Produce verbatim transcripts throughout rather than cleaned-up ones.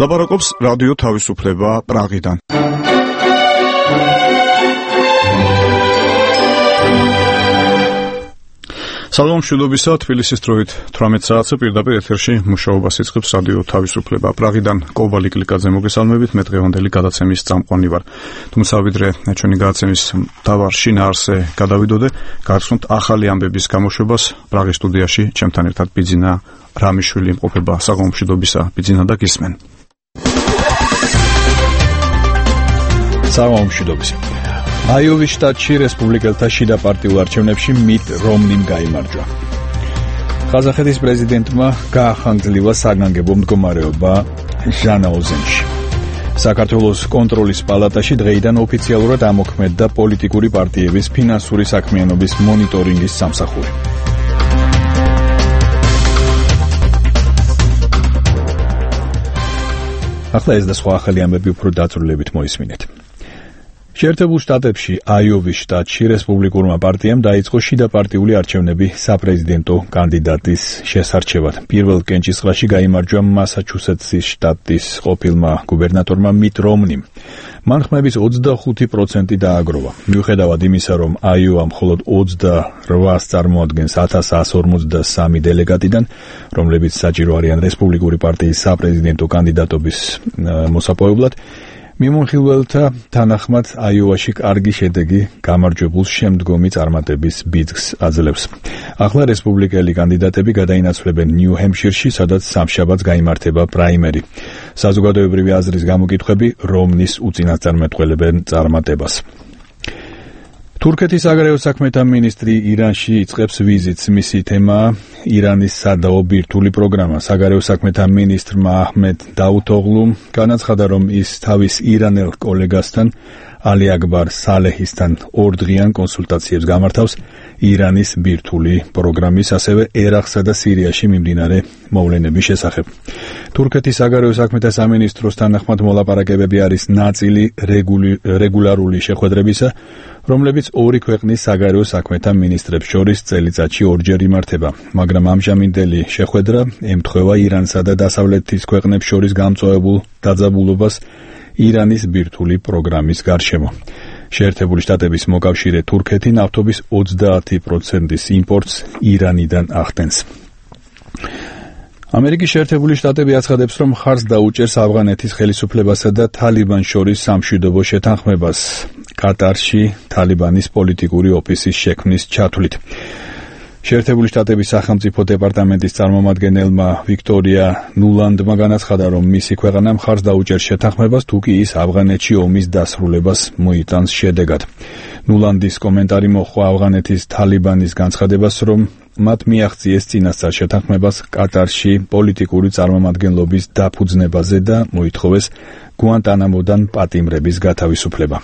ლაპარაკობს რადიო თავისუფლება პრაღიდან. სალამ მშვიდობისა, თბილისის დროით თვრამეტ საათზე პირდაპირ ეთერში მუშაობას იწყებს რადიო თავისუფლება პრაღიდან. კოვალი კლიკაძე მოგესალმებით, მე დღევანდელი გადაცემის წამყვანი ვარ. თუმცა ვიდრე ჩვენი გადაცემის მთავარ შინაარსზე გადავიდოდე, გავხსნით ახალი ამბების გამოშვებას პრაღის სტუდიაში ჩემთან ერთად ბიძინა რამიშვილი იმყოფება. სალამ მშვიდობისა, ბიძინა და გისმენ. სალამ მშვიდობისა. აიოვის შტატში რესპუბლიკელთა შიდა პარტიულ არჩევნებში მიტ რომნიმ გაიმარჯვა. ყაზახეთის პრეზიდენტმა გაახანგრძლივა საგანგებო მდგომარეობა ჟანაუზენში. საქართველოს კონტროლის პალატაში დღეიდან ოფიციალურად ამოქმედდა პოლიტიკური პარტიების ფინანსური საქმიანობის მონიტორინგის სამსახური. ახლა ეს და სხვა ახალი ამბები უფრო დაწვრილებით მოისმინეთ. შეერთებულ შტატებში აიოვის შტატში რესპუბლიკურმა პარტიამ დაიწყო შიდა პარტიული არჩევნები საპრეზიდენტო კანდიდატის შესარჩევად. პირველ კენჭისყრაში გაიმარჯვა მასაჩუსეტსის შტატის ყოფილმა გუბერნატორმა მიტ რომნიმ. მან ხმების ოცდახუთი პროცენტი დააგროვა. მიუხედავად იმისა, რომ აიოვა მხოლოდ ოცდარვას წარმოადგენს ათას ათას ორმოცდასამი დელეგატიდან, რომლებიც საჭირო არიან რესპუბლიკური პარტიის საპრეზიდენტო კანდიდატობის მოსაპოვებლად, მიმოხილველთა თანახმად აიოვაში კარგი შედეგი გამარჯვებულ შემდგომი წარმატების ბიძგს აძლევს. ახლა რესპუბლიკელი კანდიდატები გადაინაცვლებენ ნიუ-ჰემპშირში, სადაც სამშაბათს გაიმართება პრაიმერი. საზოგადოებრივი აზრის გამოკითხვები რომნის უწინასწარმეტყველებენ წარმატებას. თურქეთის საგარეო საქმეთა მინისტრი ირანში იწყებს ვიზიტს. მისი თემაა ირანის სადაო ბირთვული პროგრამა. საგარეო საქმეთა მინისტრმა აჰმედ დაუთოღლუმ განაცხადა, რომ ის თავის ირანელ კოლეგასთან ალი აკბარ სალეჰისთან ორდღიან კონსულტაციებს გამართავს ირანის ბირთვული პროგრამის, ასევე ერაყსა და სირიაში მიმდინარე მოვლენების შესახებ. თურქეთის საგარეო საქმეთა სამინისტროს თანახმად მოლაპარაკებები არის ნაწილი რეგულარული შეხვედრებისა, რომლებიც ორი ქვეყნის საგარეო საქმეთა მინისტრებს შორის წელიწადში ორჯერ იმართება, მაგრამ ამჟამინდელი შეხვედრა ემთხვევა ირანსა და დასავლეთის ქვეყნებს შორის გამწვავებულ დაძაბულობას ირანის ბირთვული პროგრამის გარშემო. შეერთებული შტატების მოკავშირე თურქეთი ნავთობის ოცდაათი პროცენტის იმპორტს ირანიდან ახდენს. ამერიკის შეერთებული შტატები აცხადებს, რომ მხარს დაუჭერს ავღანეთის ხელისუფლებასა და თალიბანს შორის სამშვიდობო შეთანხმებას კატარში თალიბანის პოლიტიკური ოფისის შექმნის ჩათვლით. შეერთებული შტატების სახელმწიფო დეპარტამენტის წარმომადგენელმა ვიქტორია ნულანდმა განაცხადა, რომ მისი ქვეყანა მხარს დაუჭერს შეთანხმებას, თუ კი ის ავღანეთში ომის დასრულებას მოიტანს შედეგად. ნულანდის კომენტარი მოჰყვა ავღანეთის თალიბანის განცხადებას, რომ მათ მიაღწიეს წინასწარ შეთანხმებას კატარში პოლიტიკური წარმომადგენლობის დაფუძნებაზე და მოითხოვეს გუანტანამოდან პატიმრების გათავისუფლება.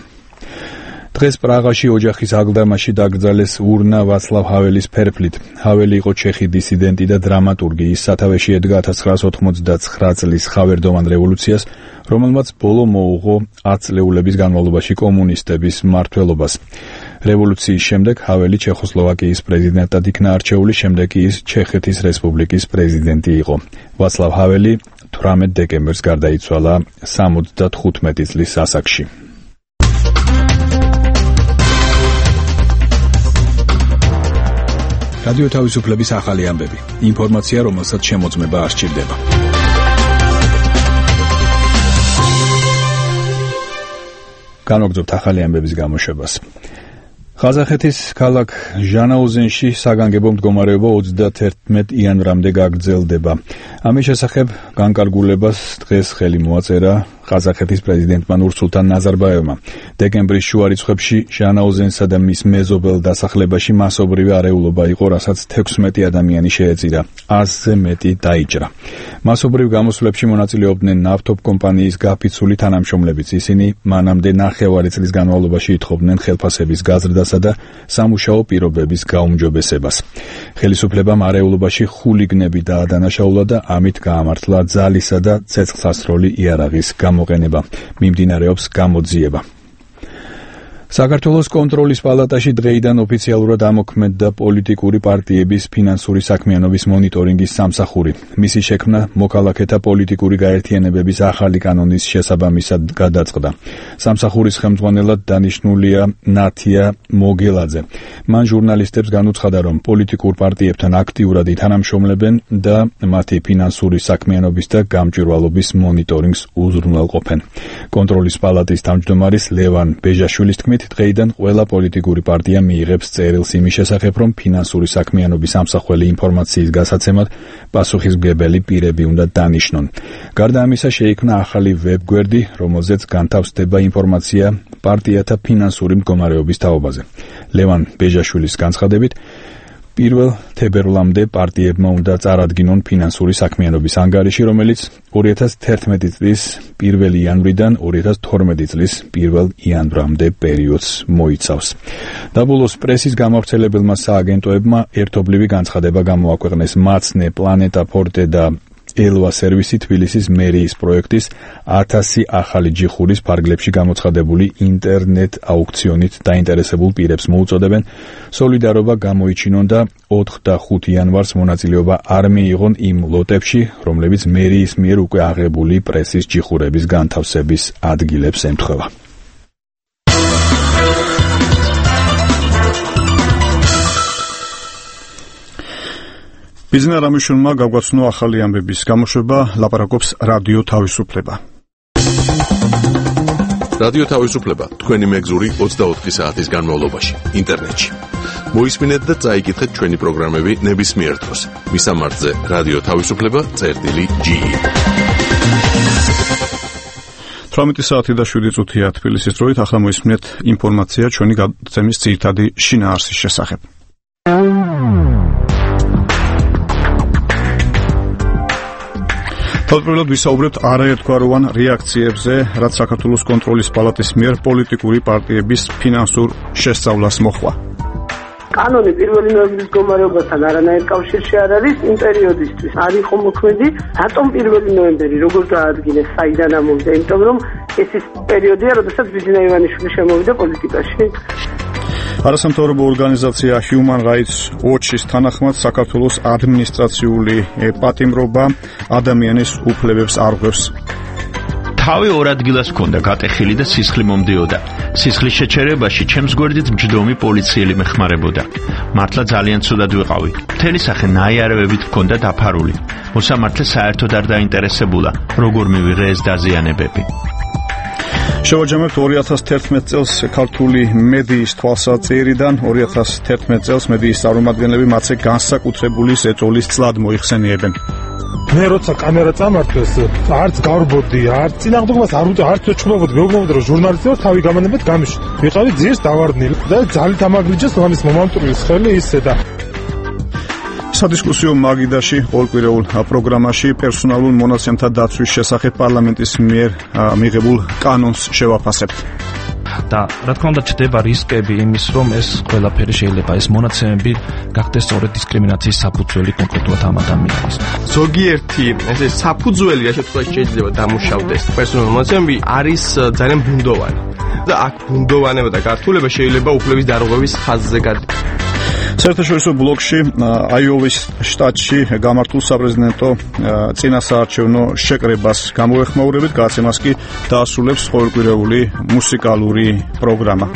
დღეს პრაღაში ოჯახის აღგდამაში დაკრძალეს ურნა ვაცლავ ჰაველის ფერფლით. ჰაველი იყო ჩეხი დისიდენტი და დრამატურგი. ის სათავეში ედგა ათას ცხრაას ოთხმოცდაცხრა წლის ხავერდოვან რევოლუციას, რომელმაც ბოლო მოუღო ათ წლეულების განმავლობაში კომუნისტების მმართველობას. რევოლუციის შემდეგ ჰაველი ჩეხოსლოვაკიის პრეზიდენტად იქნა არჩეული, შემდეგ კი ის ჩეხეთის რესპუბლიკის პრეზიდენტი იყო. ვაცლავ ჰაველი თვრამეტ დეკემბერს გარდაიცვალა სამოცდათხუთმეტი წლის ასაკში. რადიო თავისუფლების ახალი ამბები. ინფორმაცია, რომელსაც შემოწმება არ სჭირდება. განვაგრძობთ ახალი ამბების გამოშვებას. ყაზახეთის ქალაქ ჟანაუზენში საგანგებო მდგომარეობა ოცდაათერთმეტ იანვრამდე გაგრძელდება. ამის შესახებ განკარგულებას დღეს ხელი მოაწერა ყაზახეთის პრეზიდენტმა ნურსულთან ნაზარბაევმა. დეკემბრის შუა რიცხვებში ჟანაუზენსა და მის მეზობელ დასახლებაში მასობრივი არეულობა იყო, რასაც თექვსმეტი ადამიანი შეეწირა, ასზე მეტი დაიჭრა. მასობრივ გამოსვლებში მონაწილეობდნენ ნავთობ კომპანიის გაფიცული თანამშრომლებიც. ისინი მანამდე ნახევარი წლის განმავლობაში ითხოვდნენ ხელფასების გაზრდასა და სამუშაო პირობების გაუმჯობესებას. ხელისუფლებამ არეულობაში ხულიგნები დაადანაშაულა და ამით გაამართლა ძალისა და ცეცხლსასროლი იარაღის გამოყენება. მიმდინარეობს გამოძიება. საქართველოს კონტროლის პალატაში დღეიდან ოფიციალურად ამოქმედდა პოლიტიკური პარტიების ფინანსური საქმიანობის მონიტორინგის სამსახური. მისი შექმნა მოქალაქეთა პოლიტიკური გაერთიანებების ახალი კანონის შესაბამისად გადაწყდა. სამსახურის ხელმძღვანელად დანიშნულია ნათია მოგელაძე. მან ჟურნალისტებს განუცხადა, რომ პოლიტიკურ პარტიებთან აქტიურად ითანამშრომლებენ და მათი ფინანსური საქმიანობის და გამჭვირვალობის მონიტორინგს უზრუნველყოფენ. კონტროლის პალატის თავმჯდომარის ლევან ბეჟაშვილის თქმით, დღეიდან ყველა პოლიტიკური პარტია მიიღებს წერილს იმის შესახებ, რომ ფინანსური საქმიანობის ამსახველი ინფორმაციის გასაცემად პასუხისმგებელი პირები უნდა დანიშნონ. გარდა ამისა, შეიქმნა ახალი ვებგვერდი, რომელზეც განთავსდება ინფორმაცია პარტიათა ფინანსური მდგომარეობის თაობაზე. ლევან ბეჟაშვილის განცხადებით, პირველ თებერვლამდე პარტიებმა უნდა წარადგინონ ფინანსური საქმიანობის ანგარიში, რომელიც ორი ათას თერთმეტი წლის პირველი იანვრიდან ორი ათას თორმეტი წლის პირველ იანვრამდე პერიოდს მოიცავს. დაბოლოს პრესის გამავრცელებელმა სააგენტოებმა ერთობლივი განცხადება გამოაქვეყნეს მაცნე, პლანეტა ფორტე და ელვა სერვისი თბილისის მერიის პროექტის ათასი ახალი ჯიხურის ფარგლებში გამოცხადებული ინტერნეტ აუქციონით დაინტერესებულ პირებს მოუწოდებენ სოლიდარობა გამოიჩინონ და ოთხ და ხუთი იანვარს მონაწილეობა არ მიიღონ იმ ლოტებში, რომლებიც მერიის მიერ უკვე აღებული პრესის ჯიხურების განთავსების ადგილებს ემთხვევა. ბიზნეს რამიშულმა გაგვაცნო ახალი ამბების გამოშვება, ლაპარაკობს რადიო თავისუფლება. რადიო თავისუფლება თქვენი მეგზური ოცდაოთხი საათის განმავლობაში ინტერნეტში. მოისმინეთ და წაიკითხეთ ჩვენი პროგრამები ნებისმიერ დროს. მისამართზე რადიო თავისუფლება წერტილი ჯი. თვრამეტი საათი და შვიდი წუთია თბილისის დროით, ახლა მოისმინეთ ინფორმაცია ჩვენი გადაცემის ძირითადი შინაარსის შესახებ. თავდაპირველად ვისაუბრებთ არაერთგვაროვან რეაქციებზე, რაც საქართველოს კონტროლის პალატის მიერ პოლიტიკური პარტიების ფინანსურ შესწავლას მოჰყვა. კანონი პირველი ნოემბრის მდგომარეობასთან არანაირ კავშირში არ არის იმ პერიოდისთვის. არ იყო მოქმედი, რატომ პირველი ნოემბერი, როგორ დაადგინეს, საიდან ამოვიდა, იმიტომ რომ ეს ის პერიოდია, როდესაც ბიძინა ივანიშვილი შემოვიდა პოლიტიკაში. არასამთავრობო ორგანიზაცია Human Rights Watch-ის თანახმად, საქართველოს ადმინისტრაციული პატიმრობა ადამიანის უფლებებს არღვევს. თავი ორ ადგილას ჰქონდა გატეხილი და სისხლი მომდიოდა. სისხლის შეჩერებაში ჩემს გვერდით მჯდომი პოლიციელი მეხმარებოდა. მართლა ძალიან ცუდად ვიყავი. მთელი სახე ნაიარევებით ჰქონდა დაფარული. მოსამართლე საერთოდ არ დაინტერესებულა, როგორ მივიღე ეს დაზიანებები. შევაჯამებთ ორი ათას თერთმეტ წელს ქართული მედიის თვალსაჩინოდან, ორი ათას თერთმეტ წელს მედიის წარმომადგენლები მათზე განსაკუთრებული ზეწოლის წლად მოიხსენიებენ. მე როცა კამერა წამართვეს, არც გავრბოდი, არც წინააღმდეგობას არ ვუწევ, არც ვეჩხუბობდი, მეუბნებოდი, რომ ჟურნალისტი ვარ, თავი გამანებად გამიშვი. ვიყავი ძირს დავარდნილი და ძალით ამაგრიჯეს მამის მომამტურის ხელი ისე და სადისკუსიო მაგიდაში ყოველკვირეულ პროგრამაში პერსონალურ მონაცემთა დაცვის შესახებ პარლამენტის მიერ მიღებულ კანონს შევაფასებთ. და რა თქმა უნდა ჩდება რისკები იმის, რომ ეს ყველაფერი შეიძლება ეს მონაცემები გახდეს სწორედ დისკრიმინაციის საფუძველი კონკრეტულად ამ ადამიანის. ზოგიერთი ესე საფუძველი რა შემთხვევაში შეიძლება დამუშავდეს პერსონალურ მონაცემები არის ძალიან ბუნდოვანი. და აქ ბუნდოვანება და გართულება შეიძლება უფლების დარღვევის ხაზზე გადაიდოს. საერთაშორისო ბლოკში აიოვის შტატში გამართულ საპრეზიდენტო წინასაარჩევნო შეკრებას გამოეხმაურებით, გადაცემას კი დაასრულებს ყოველკვირეული მუსიკალური პროგრამა.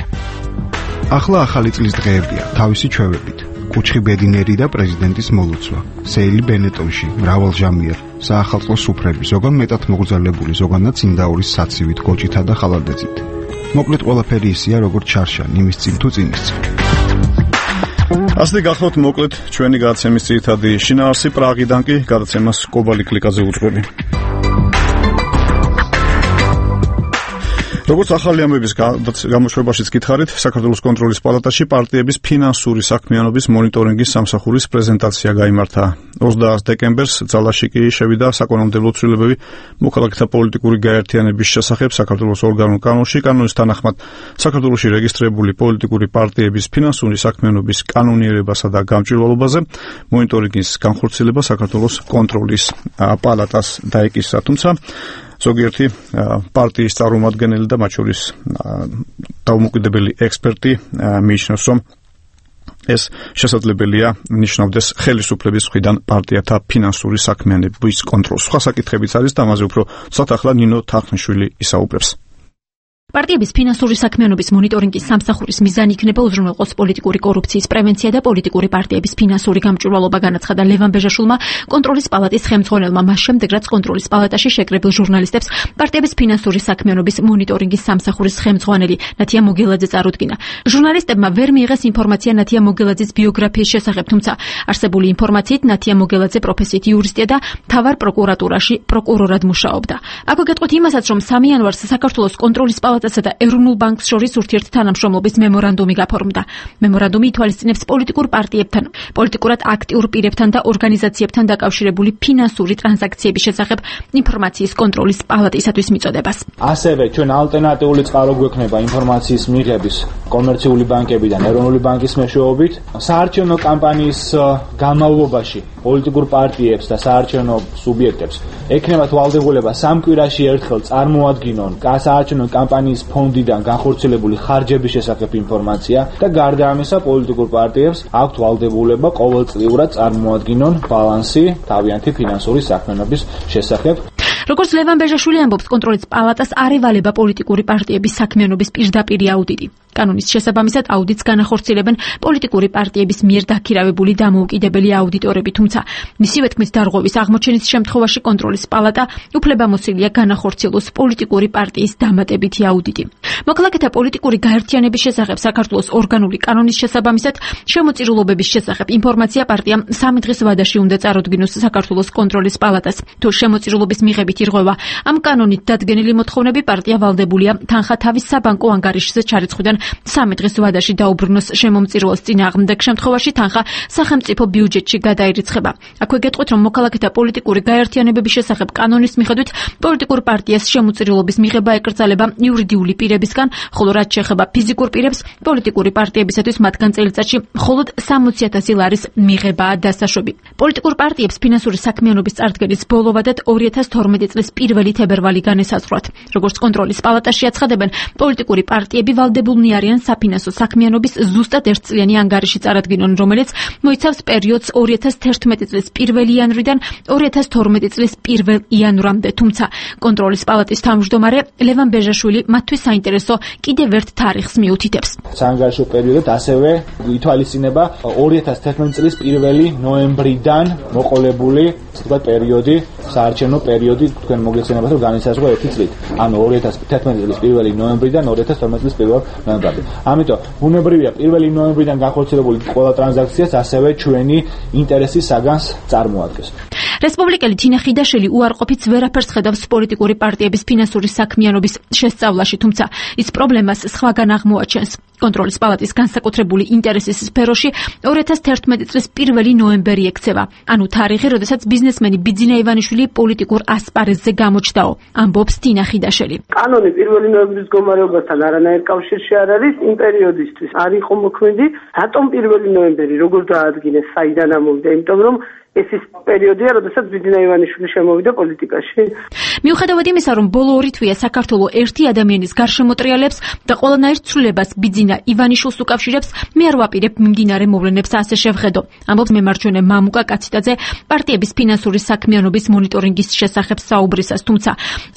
ახლა ახალი წლის დღეებია, თავისი ჩვევებით. კუჩხი ბედინერი და პრეზიდენტის მოლუცვა. სეილი ბენეტონში, მრავალჟამიერ, საახალწლო სუფრები, ზოგან მეტად მოგრძალებული, ზოგანაც იმდაურის საცივით, გოჭითა და ხალარდეცით. მოკლედ ყველაფერი ისეა, როგორც ჩარშა, იმის წინ თუ წინის წინ. ასე გახლავთ მოკლედ ჩვენი გადაცემის ძირითადი შინაარსი. პრაღიდან კი გადაცემას კობალი კლიკაზე უძღვები. როგორც ახალი ამბების გამოშვებაშიც გითხარით, საქართველოს კონტროლის პალატაში პარტიების ფინანსური საქმიანობის მონიტორინგის სამსახურის პრეზენტაცია გაიმართა. ოცდაათს დეკემბერს ძალაში კი შევიდა საკანონმდებლო ცვლილებები მოქალაქეთა პოლიტიკური გაერთიანების შესახებ საქართველოს ორგანულ კანონში. კანონის თანახმად, საქართველოში რეგისტრირებული პოლიტიკური პარტიების ფინანსური საქმიანობის კანონიერებასა და გამჭვირვალობაზე მონიტორინგის განხორციელება საქართველოს კონტროლის პალატას დაეკისრა. თუმცა ზოგიერთი პარტიის წარმომადგენელი და მათ შორის დაუმოუკიდებელი ექსპერტი მიიჩნევს, რომ ეს შესაძლებელია ნიშნავდეს ხელისუფლების მხრიდან პარტიათა ფინანსური საქმიანობის კონტროლს. სხვა საკითხებიც არის და ამაზე უფრო ცოტა ახლა ნინო თახნიშვილი ისაუბრებს. პარტიების ფინანსური საქმიანობის მონიტორინგის სამსახურის მიზანი იქნება უზრუნველყოს პოლიტიკური კორუფციის პრევენცია და პოლიტიკური პარტიების ფინანსური გამჭვირვალობა, განაცხადა ლევან ბეჟაშვილმა, კონტროლის პალატის ხელმძღვანელმა, მას შემდეგ, რაც კონტროლის პალატაში შეკრებილ ჟურნალისტებს პარტიების ფინანსური საქმიანობის მონიტორინგის სამსახურის ხელმძღვანელი ნათია მოგელაძე წარუდგინა. ჟურნალისტებმა ვერ მიიღეს ინფორმაცია ნათია მოგელაძის ბიოგრაფიის შესახებ, თუმცა არსებული ინფორმაციით ნათია მოგელაძე პროფესიით იურისტია და მთავარ პროკურატურაში პროკურორად მუშაობდა. აქვე გეტყვით იმასაც, რომ სამი იანვარს საქართველოს კონტროლის პალატა და ეროვნულ ბანკს შორის ურთიერთთანამშრომლობის მემორანდუმი გაფორმდა. მემორანდუმი ითვალისწინებს პოლიტიკურ პარტიებთან, პოლიტიკურად აქტიურ პირებთან და ორგანიზაციებთან დაკავშირებული ფინანსური ტრანზაქციების შესახებ ინფორმაციის კონტროლის პალატისათვის მიწოდებას. ასევე ჩვენ ალტერნატიული წყარო გვექნება ინფორმაციის მიღების კომერციული ბანკებიდან ეროვნული ბანკის მეშვეობით, საარჩევნო კამპანიის განმავლობაში პოლიტიკურ პარტიებს და საარჩევნო სუბიექტებს ექნებათ ვალდებულება სამ კვირაში ერთხელ წარმოადგინონ საარჩევნო კამპანიის ფონდიდან განხორციელებული ხარჯების შესახებ ინფორმაცია და გარდა ამისა პოლიტიკურ პარტიებს აქვთ ვალდებულება ყოველწლიურად წარმოადგინონ ბალანსი თავიანთი ფინანსური საქმიანობის შესახებ. როგორც ლევან ბეჟაშვილი ამბობს, კონტროლის პალატას არ ევალება პოლიტიკური პარტიების საქმიანობის პირდაპირი აუდიტი. კანონის შესაბამისად აუდიტს განახორციელებენ პოლიტიკური პარტიების მიერ დაქირავებული დამოუკიდებელი აუდიტორები, თუმცა მისივე თქმით დარღვევის აღმოჩენის შემთხვევაში კონტროლის პალატა უფლებამოსილია განახორციელოს პოლიტიკური პარტიის დამატებითი აუდიტი. მოქალაქეთა პოლიტიკური გაერთიანების შესახებ საქართველოს ორგანული კანონის შესაბამისად შემოწირულობების შესახებ ინფორმაცია პარტიამ სამი დღის ვადაში უნდა წარუდგინოს საქართველოს კონტროლის პალატას. თუ შემოწირულობის მიღებით ირღვევა ამ კანონით დადგენილი მოთხოვნები, პარტია ვალდებულია თანხა თავის საბანკო ანგარიშზე ჩარიცხვიდან სამი დღის ვადაში დაუბრუნოს შემომწირულოს წინააღმდეგ შემთხვევაში თანხა სახელმწიფო ბიუჯეტში გადაირიცხება. აქვე გეტყვით, რომ მოქალაქეთა პოლიტიკური გაერთიანებების შესახებ კანონის მიხედვით პოლიტიკურ პარტიას შემოწირულობის მიღება ეკრძალება იურიდიული პირებისგან, ხოლო რაც შეეხება ფიზიკურ პირებს, პოლიტიკური პარტიებისათვის მათგან წელიწადში მხოლოდ სამოცი ათასი ლარის მიღებაა დასაშვები. პოლიტიკურ პარტიებს ფინანსური საქმიანობის წარდგენის ბოლო ვადად ორი ათას თორმეტი წლის პირველი თებერვალი განესაზღვრათ. როგორც კონტროლის პალატაში აცხადებენ, პოლიტიკური პარტიები ვალდებულნი არიან საფინანსო საქმიანობის ზუსტად ერთწლიანი ანგარიში წარადგინონ, რომელიც მოიცავს პერიოდს ორი ათას თერთმეტი წლის პირველი იანვრიდან ორი ათას თორმეტი წლის პირველ იანვრამდე. თუმცა კონტროლის პალატის თავმჯდომარე ლევან ბეჟაშვილი მათთვის საინტერესო კიდევ ერთ თარიღს მიუთითებს. საანგარიშო პერიოდად ასევე ითვალისწინება ორი ათას თერთმეტი წლის პირველი ნოემბრიდან მოყოლებული თქვა პერიოდი, საარჩევნო პერიოდი თქვენ მოგეცემათ რომ განისაზღვრა ერთი წლით. ანუ ორი ათას თერთმეტი წლის პირველი ნოემბრიდან ორი ათას თორმეტი წლის პირველ ნოემბრამდე. ამიტომ ბუნებრივია პირველი ნოემბრიდან განხორციელებული ყველა ტრანზაქციას ასევე ჩვენი ინტერესის საგანს წარმოადგენს. რესპუბლიკელი თინა ხიდაშელი უარყოფით ვერაფერს ხედავს პოლიტიკური პარტიების ფინანსური საქმიანობის შესწავლაში, თუმცა ის პრობლემას სხვაგან აღმოაჩენს. კონტროლის პალატის განსაკუთრებული ინტერესის სფეროში ორი ათას თერთმეტი წლის პირველი ნოემბერი ექცევა, ანუ თარიღი, როდესაც ბიზნესმენი ბიძინა ივანიშვილი პოლიტიკურ ასპარეზზე გამოჩნდაო, ამბობს თინა ხიდაშელი. კანონი პირველი ნოემბრის მდგომარეობასთან არანაირ კავშირში არ არის, იმ პერიოდისთვის არ იყო მოქმედი, რატომ პირველი ნოემბერი, როგორ დაადგინეს, საიდან ამოვიდა, იმიტომ რომ ეს ის პერიოდია, როდესაც ბიძინა ივანიშვილი შემოვიდა პოლიტიკაში. მიუხედავად იმისა, რომ ბოლო ორი თვეა საქართველოს ერთი ადამიანის გარშემოტრიალებს და ყველანაირ ცვლილებას ბიძინა ივანიშვილს უკავშირებს, მე არ ვაპირებ მიმდინარე მოვლენებს ასე შევხედო. ამბობს მემარჯვენე მამუკა კაციტაძე პარტიების ფინანსური საქმიანობის მონიტორინგის შესახებ საუბრისას, თუმცა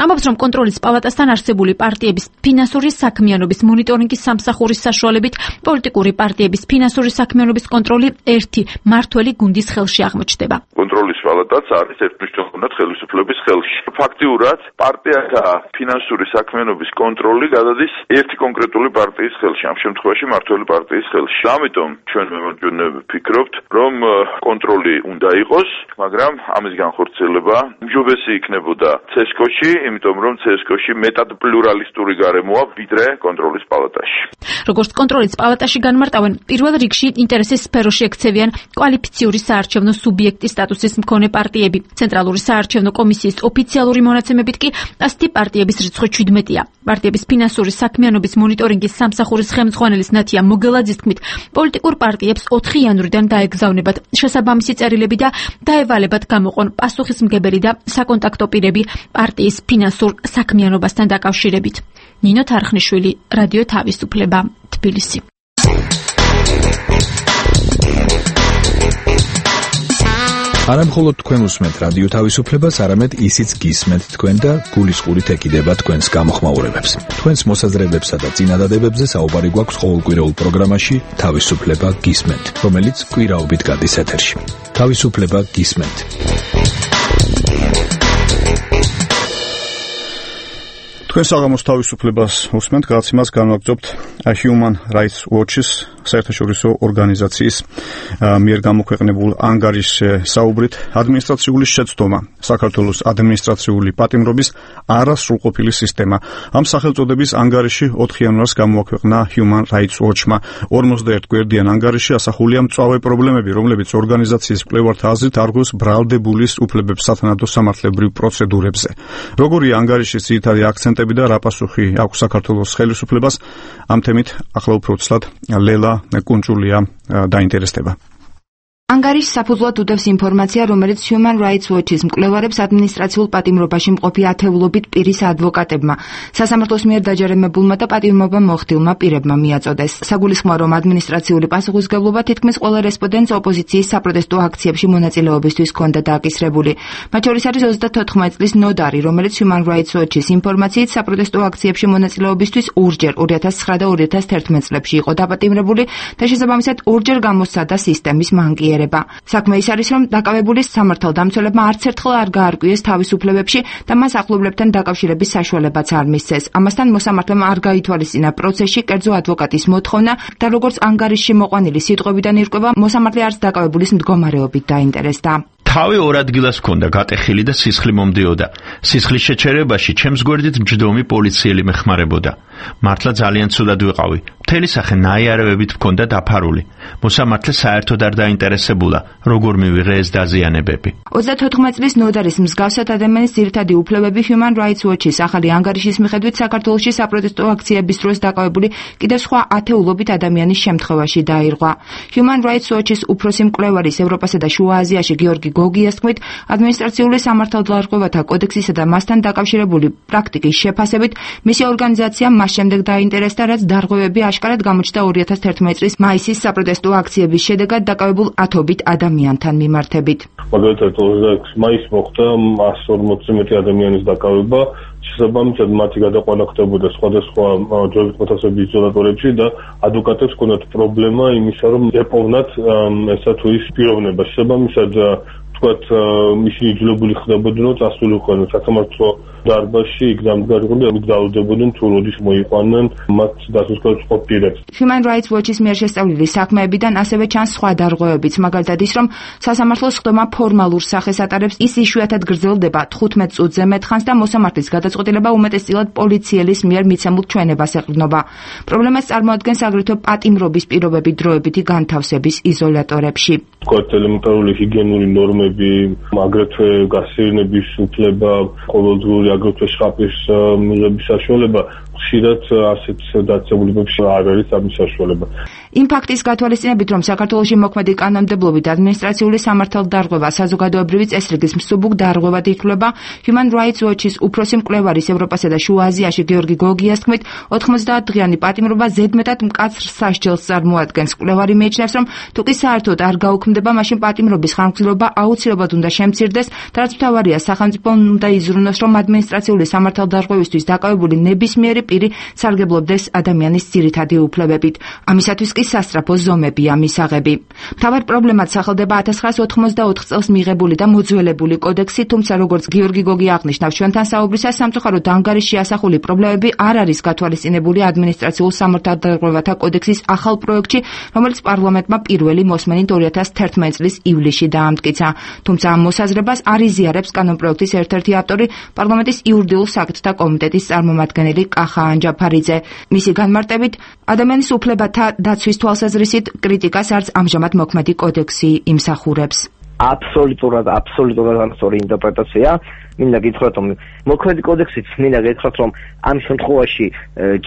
ამბობს, რომ კონტროლის პალატასთან არსებული პარტიების ფინანსური საქმიანობის მონიტორინგის სამსახურის საშუალებით პოლიტიკური პარტიების ფინანსური საქმიანობის კონტროლი ერთი მართველი გუნდის ხელში აღმოჩნდება. კონტროლის პალატაც არის ერთმნიშვნელოვნად ხელისუფლების ხელში. ფაქტიურად პარტიათა ფინანსური საქმიანობის კონტროლი გადადის ერთი კონკრეტული პარტიის ხელში, ამ შემთხვევაში მმართველი პარტიის ხელში. ამიტომ ჩვენ მემარჯვენე ვფიქრობთ, რომ კონტროლი უნდა იყოს, მაგრამ ამის განხორციელება უმჯობესი იქნებოდა ცესკოში, იმიტომ რომ ცესკოში მეტად პლურალისტური გარემოა ვიდრე კონტროლის პალატაში. როგორც კონტროლის პალატაში განმარტავენ, პირველ რიგში ინტერესის სფეროში ექცევიან კვალიფიციური საარჩევნო სუბიექტის სტატუსის მქონე პარტიები. ცენტრალური საარჩევნო კომისიის ოფიციალური მონაცემებით მონაცემებით კი ასეთი პარტიების რიცხვი შვიდმეტია. პარტიების ფინანსური საქმიანობის მონიტორინგის სამსახურის ხელმძღვანელის ნათია მოგელაძის თქმით, პოლიტიკურ პარტიებს ოთხი იანვრიდან დაეგზავნებათ შესაბამისი წერილები და დაევალებათ გამოყონ პასუხისმგებელი და საკონტაქტო პირები პარტიის ფინანსურ საქმიანობასთან დაკავშირებით. ნინო თარხნიშვილი, რადიო თავისუფლება, თბილისი. არა მხოლოდ თქვენ უსმენთ რადიო თავისუფლებას, არამედ ისიც გისმენთ თქვენ და გულისყურით ეკიდება თქვენს გამოხმაურებებს. თქვენს მოსაზრებებსა და წინადადებებზე საუბარი გვაქვს ყოველკვირეულ პროგრამაში თავისუფლება გისმენთ, რომელიც კვირაობით გადის ეთერში. თავისუფლება გისმენთ. თქვენ საღამოს თავისუფლებას უსმენთ, გადაცემას განვაგრძობთ Human Rights Watch-ის საერთაშორისო ორგანიზაციის მიერ გამოქვეყნებულ ანგარიშზე საუბრით ადმინისტრაციული შეცდომა, საქართველოს ადმინისტრაციული პატიმრობის არასრულყოფილი სისტემა. ამ სახელწოდების ანგარიში ოთხ იანვარს გამოაქვეყნა Human Rights Watch-მა. ორმოცდაერთ გვერდიან ანგარიში ასახულია მწვავე პრობლემები, რომლებიც ორგანიზაციის მკვლევართა აზრით არგოს ბრალდებულის უფლებებს სათანადო სამართლებრივ პროცედურებზე. როგორია ანგარიშის ძირითადი აქცენტები და რა პასუხი აქვს საქართველოს ხელისუფლებას? ამ თემით ახლა უფრო ცლად ლელა კუნჭულია დაინტერესდება. ანგარიშს საფუძვლად უდევს ინფორმაცია, რომელიც Human Rights Watch-ის მკვლევარებს ადმინისტრაციულ პატიმრობაში მყოფი ათეულობით პირის ადვოკატებმა, სასამართლოს მიერ დაჯერებებულმა და პატიმრობა მოხდილმა პირებმა მიაწოდეს. საგულისხმოა, რომ ადმინისტრაციული პასუხისმგებლობა თითქმის ყველა რესპონდენტს ოპოზიციის საპროტესტო აქციებში მონაწილეობისთვის ჰქონდა დააკისრებული. მათ შორის არის ოცდათოთხმეტი წლის ნოდარი, რომელიც Human Rights Watch-ის ინფორმაციით საპროტესტო აქციებში მონაწილეობისთვის ორჯერ ორი ათას ცხრა და ორი ათას თერთმეტ წლებში იყო დაპატიმრებული და შესაბამისად ორჯერ გამოსცადა სისტემის მანკიერება. საქმე ის არის, რომ დაკავებულის სამართალდამცველებმა არც ერთხელ არ გაარკვიეს თავისუფლებებში და მას ახლობლებთან დაკავშირების საშუალებაც არ მისცეს. ამასთან მოსამართლემ არ გაითვალისწინა პროცესში კერძო ადვოკატის მოთხოვნა და როგორც ანგარიშში მოყვანილი სიტყვებიდან ირკვევა, მოსამართლე არც დაკავებულის მდგომარეობით დაინტერესდა. თავი ორ ადგილას ჰქონდა გატეხილი და სისხლი მომდიოდა. სისხლის შეჩერებაში ჩემს გვერდით მჯდომი პოლიციელი მეხმარებოდა. მართლა ძალიან ცუდად ვიყავი. მთელი სახე ნაიარევებით მქონდა დაფარული. მოსამართლე საერთოდ არ დაინტერესებულა, როგორ მივიღე ეს დაზიანებები. ოცდათოთხმეტი წლის ნოდარის მსგავსად ადამიანის ძირითადი უფლებები Human Rights Watch-ის ახალი ანგარიშის მიხედვით საქართველოში საპროტესტო აქციების დროს დაკავებული კიდევ სხვა ათეულობით ადამიანის შემთხვევაში დაირღვა. Human Rights Watch-ის უფროსი მკვლევარის ევროპასა და შუა აზიაში გიორგი გოგიას თქმით, ადმინისტრაციული სამართალდარღვევათა კოდექსისა და მასთან დაკავშირებული პრაქტიკის შეფასებით, მისი ორგანიზაცია მას შემდეგ დაინტერესდა, რაც დარღვევები აშკარად გამოჩნდა ორი ათას თერთმეტი წლის მაისის საპროტესტო აქციების შედეგად დაკავებულ ათობით ადამიანთან მიმართებით. მაგალითად ოცდაექვსი მაისს მოხდა εκατს ორმოცზე მეტი ადამიანის დაკავება, შესაბამისად მათი გადაყვანა ხდებოდა სხვადასხვა დროებით მოთავსებების იზოლატორებში და ადვოკატებს ჰქონდათ პრობლემა იმისა, რომ ეპოვნათ ესა თუ ის პიროვნება. შესაბამისად თქვათ ისინი იძულებული ხდებოდნენ, რომ წასულიყვნენ სასამართლო დარბაზში, იქ დამდგარიყოდნენ, იქ დაუდებოდნენ თუ როდის მოიყვანენ მათ დასუსკრებულ პირებს. Human Rights Watch-ის მიერ შესწავლილი საქმეებიდან ასევე ჩანს სხვა დარღვევებიც, მაგალითად ის, რომ სასამართლოს ხდომა ფორმალურ სახეს ატარებს, ის იშვიათად გრძელდება თხუთმეტ წუთზე მეტ ხანს და მოსამართლის გადაწყვეტილება უმეტესწილად პოლიციელის მიერ მიცემულ ჩვენებას ეყრდნობა. პრობლემას წარმოადგენს აგრეთვე პატიმრობის პირობები დროებითი განთავსების იზოლატორებში. თქვათ ელემენტარული ჰიგიენური ნორმები, აგრეთვე გასეირნების უფლება, ყოველდღიური აგრეთვე შხაპის მიღების საშუალება ხშირად ასეთ დაწესებულებებში არ არის ამის საშუალება. იმ ფაქტის გათვალისწინებით, რომ საქართველოში მოქმედი კანონმდებლობით ადმინისტრაციული სამართალდარღვევა საზოგადოებრივი წესრიგის მსუბუქ დარღვევად ითვლება, Human Rights Watch-ის უფროსი მკვლევარის ევროპასა და შუა აზიაში გიორგი გოგიას თქმით, ოცდაათი დღიანი პატიმრობა ზედმეტად მკაცრ სასჯელს წარმოადგენს. მკვლევარი მიიჩნევს, რომ თუ კი საერთოდ არ გაუქმდება, მაშინ პატიმრობის ხანგრძლივობა აუცილებლად უნდა შემცირდეს და რაც მთავარია, სახელმწიფომ უნდა იზრუნოს, რომ ადმინისტრაციული სამართალდარღვევისთვის დაკავებული ნებისმიერი პირი სარგებლობდეს ადამიანის ძირითადი უფლებებით. ამისათვის კი სასწრაფო ზომებია მისაღები. მთავარ პრობლემად სახელდება ათას ცხრაას ოთხმოცდაოთხ წელს მიღებული და მოძველებული კოდექსი, თუმცა როგორც გიორგი გოგი აღნიშნავს ჩვენთან საუბრისას, სამწუხაროდ ანგარიშში ასახული პრობლემები არ არის გათვალისწინებული ადმინისტრაციულ სამართალდარღვევათა კოდექსის ახალ პროექტში, რომელიც პარლამენტმა პირველი მოსმენით ორი ათას თერთმეტი წლის ივლისში დაამტკიცა. თუმცა ამ მოსაზრებას არ იზიარებს კანონპროექტის ერთ-ერთი ავტორი, პარლამენტის იურიდიულ საკითხთა კომიტეტის წარმომადგენელი კახა ანჯაფარიძე. მისი განმარტებით, ადამიანის უფლებათა დაცვის თვალსაზრისით კრიტიკას არც ამჟამად მოქმედი კოდექსი იმსახურებს. აბსოლუტურად, აბსოლუტურად ამსორი ინტერპრეტაცია. მინდა გითხრათ, რომ მოქმედი კოდექსით მინდა გითხრათ, რომ ამ შემთხვევაში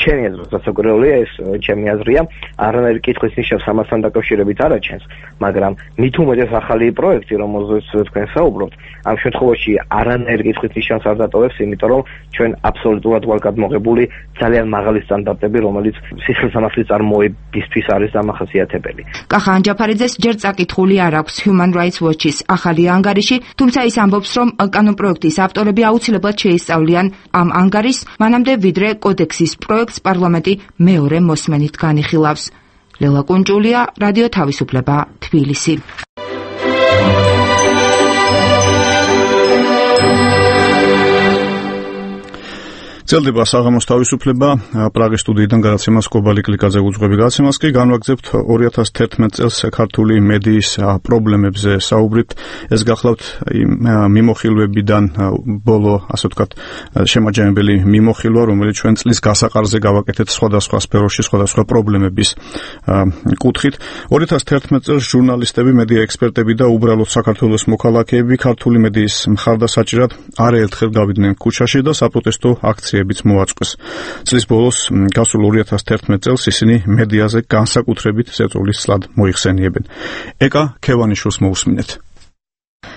ჩემი აზრით სასაკურველია ეს ჩემი აზრია, არანაირი კითხვის ნიშნავს ამასთან დაკავშირებით არ აჩენს, მაგრამ მით უმეტეს ახალი პროექტი, რომელზეც თქვენ საუბრობთ, ამ შემთხვევაში არანაირი კითხვის ნიშნავს არ დატოვებს, იმიტომ რომ ჩვენ აბსოლუტურად ვარ გადმოღებული ძალიან მაღალი სტანდარტები, რომელიც სისხლისამართლის წარმოებისთვის არის დამახასიათებელი. კახა ანჯაფარიძეს ჯერ წაკითხული არ აქვს Human Rights Watch-ის ახალი ანგარიში, თუმცა ის ამბობს, რომ კანონპროექტის ავტორები აუცილებლად შეისწავლიან ამ ანგარიშს, მანამდე ვიდრე კოდექსის პროექტს პარლამენტი მეორე მოსმენით განიხილავს. ლელა კუნჭულია, რადიო თავისუფლება, თბილისი. ძლდება საღამოს თავისუფლება პრაღის სტუდიიდან გადაცემას კობალი კლიკაძე უძღვები გადაცემას კი განვაგრძებთ ორი ათას თერთმეტ წელს ქართული მედიის პრობლემებზე საუბრით. ეს გახლავთ მიმოხილვებიდან ბოლო, ასე ვთქვათ, შემაჯამებელი მიმოხილვა, რომელიც ჩვენ წლის გასაყარზე გავაკეთეთ სხვადასხვა სფეროში, სხვადასხვა პრობლემების კუთხით. ორი ათას თერთმეტ წელს ჟურნალისტები, მედია ექსპერტები და უბრალოდ საქართველოს მოქალაქეები ქართული მედიის მხარდასაჭირად არაერთხელ გავიდნენ ქუჩაში და საპროტესტო აქციებში მოაწყვეს. წლის ბოლოს გასულ ორი ათას თერთმეტ წელს ისინი მედიაზე განსაკუთრებით ზეწოლის სლად მოიხსენიებენ. ეკა ქევანიშვილს მოусმინეთ.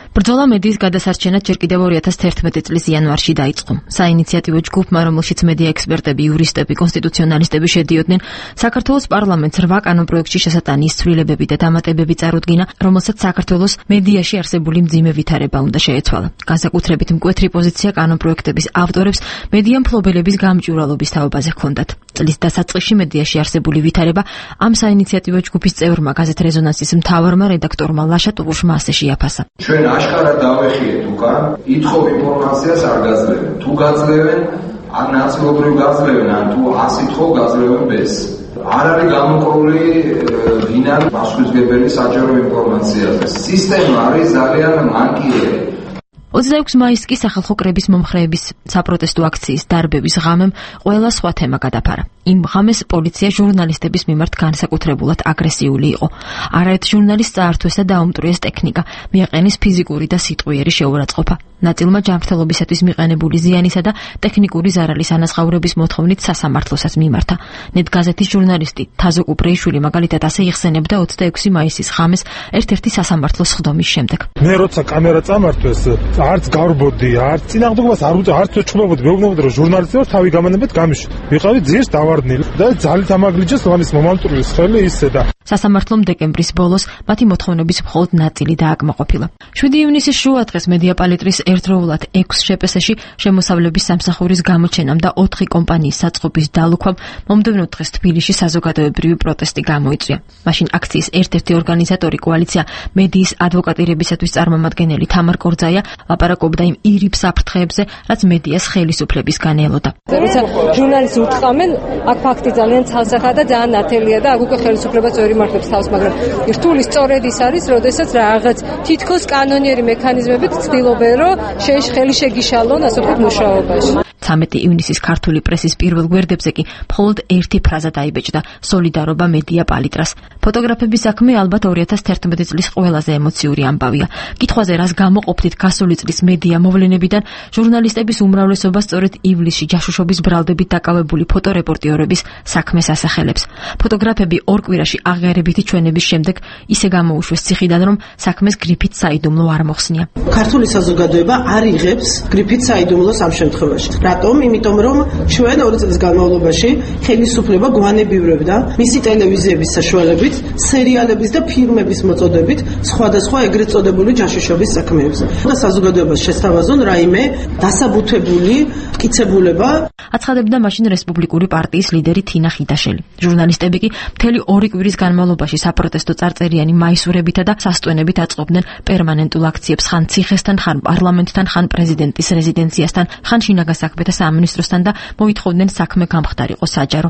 ბრძოლა მედიის გადასარჩენად ჯერ კიდევ ორი ათას თერთმეტი წლის იანვარში დაიწყო. საინიციატივო ჯგუფმა, რომელშიც მედია ექსპერტები, იურისტები, კონსტიტუციონალისტები შედიოდნენ, საქართველოს პარლამენტს რვა კანონპროექტში შესატანის ცვლილებები და დამატებები წარუდგინა, რომელსაც საქართველოს მედიაში არსებული მძიმე ვითარება უნდა შეეცვალა. განსაკუთრებით მკვეთრი პოზიცია კანონპროექტების ავტორებს მედია მფლობელების გამჭვირვალობის თაობაზე ჰქონდათ. წლის დასაწყისში მედიაში არსებული ვითარება ამ საინიციატივო ჯგუფის წევრმა გაზეთ რეზონანსის მთავარმა რედაქტორმა ლაშა ტუღუშმა ასე შეაფასა. ჩვენ აშკარად დავეხიეთ უკან, ითხოვ ინფორმაციას არ გაძლევენ. თუ გაძლევენ, ან ნაწილობრივ გაძლევენ, ან თუ ასითხოვ გაძლევენ ბეს. არ არის გამოკრული ვინარ პასუხისმგებელი საჯარო ინფორმაციაზე. სისტემა არის ძალიან მანკიერი. ოცდაექვსი მაისს კი სახალხო კრების მომხრეების საპროტესტო აქციის დარბების ღამემ ყველა სხვა თემა გადაფარა. იმ ღამეს პოლიცია ჟურნალისტების მიმართ განსაკუთრებულად აგრესიული იყო. არაერთ ჟურნალისტს წაართვეს და დაუმტვრიეს ტექნიკა, მიაყენეს ფიზიკური და სიტყვიერი შეურაცხყოფა. ნაწილმა ჯანმრთელობისათვის მიყენებული ზიანისა და ტექნიკური ზარალის ანაზღაურების მოთხოვნით სასამართლოსაც მიმართა. ნეტგაზეთის ჟურნალისტი თაზო კუპრეიშვილი მაგალითად ასე იხსენებდა ოცდაექვსი მაისის ღამეს ერთ-ერთი სასამართლოს სხდომის შემდეგ. მე როცა კამერა წამართვეს, არც გავრბოდი, არც წინააღმდეგობას არ უწევ, არც ვეჩხუბებოდი, მეუბნებოდი, რომ ჟურნალისტი ვარ, თავი გამანებად გამიშვი. ვიყავი ძირს დავარდნილი და ძალით ამაგლიჯეს ლამის მომამტვრიეს ხელი ისე და სასამართლომ დეკემბრის ბოლოს მათი მოთხოვნების მხოლოდ ნაწილი დააკმაყოფილა. შვიდი ივნისის შუადღეს მედია პალიტრის ერთდროულად ექვს შეპესეში შემოსავლების სამსახურის გამოჩენამ და ოთხი კომპანიის საწყობის დალუქვამ მომდევნო დღეს თბილისში საზოგადოებრივი პროტესტი გამოიწვია. მაშინ აქციის ერთ-ერთი ორგანიზატორი კოალიცია მედიის ადვოკატირებისათვის წარმომადგენელი თამარ კორძაია ლაპარაკობდა იმ ირიბ საფრთხეებზე, რაც მედიას ხელისუფლებისგან ელოდა. როცა ჟურნალისტს უთხრამენ, აქ ფაქტი ძალიან ცალსახაა და ძალიან ნათელია და აქ უკვე ხელისუფლება წვერი მართლებს თავს, მაგრამ რთული სწორედ ის არის, როდესაც რაღაც თითქოს კანონიერი მექანიზმებით ცდილობენ, რომ ხელი შეგიშალონ, ასე ვთქვათ, მუშაობაში. ცამეტი ივნისის ქართული პრესის პირველ გვერდებზე კი მხოლოდ ერთი ფრაზა დაიბეჭდა: სოლიდარობა მედია პალიტრას. ფოტოგრაფების საქმე ალბათ ორი ათას თერთმეტი წლის ყველაზე ემოციური ამბავია. კითხვაზე რას გამოყოფთით გასული წლის მედია მოვლენებიდან, ჟურნალისტების უმრავლესობა სწორედ ივლისში ჯაშუშობის ბრალდებით დაკავებული ფოტორეპორტიორების საქმეს ასახელებს. ფოტოგრაფები ორ კვირაში აღიარებითი ჩვენების შემდეგ ისე გამოუშვეს ციხიდან, რომ საქმეს გრიფით საიდუმლო არ მოხსნია. ქართული საზოგადოება არ იღებს გრიფით საიდუმლოს ამ შემთხვევაში. რატომ? იმიტომ რომ ჩვენ ორი წლის განმავლობაში ხელისუფლება გვანებივრებდა მისი ტელევიზიების საშუალებით, სერიალების და ფილმების მოწოდებით სხვადასხვა ეგრეთ წოდებული ჯაშუშობის საქმეებზე. და საზოგადოებას შესთავაზონ რაიმე დასაბუთებული მტკიცებულება. აცხადებდა მაშინ რესპუბლიკური პარტიის ლიდერი თინა ხიდაშელი. ჟურნალისტები კი მთელი ორი კვირის განმავლობაში საპროტესტო წარწერიანი მაისურებითა და სასტვენებით აწყობდნენ პერმანენტულ აქციებს ხან ციხესთან, ხან პარლამენტთან, ხან პრეზიდენტის რეზიდენციასთან, ხან შინაგან საქმეთა სამინისტროსთან და მოითხოვდნენ საქმე გამხდარიყო საჯარო.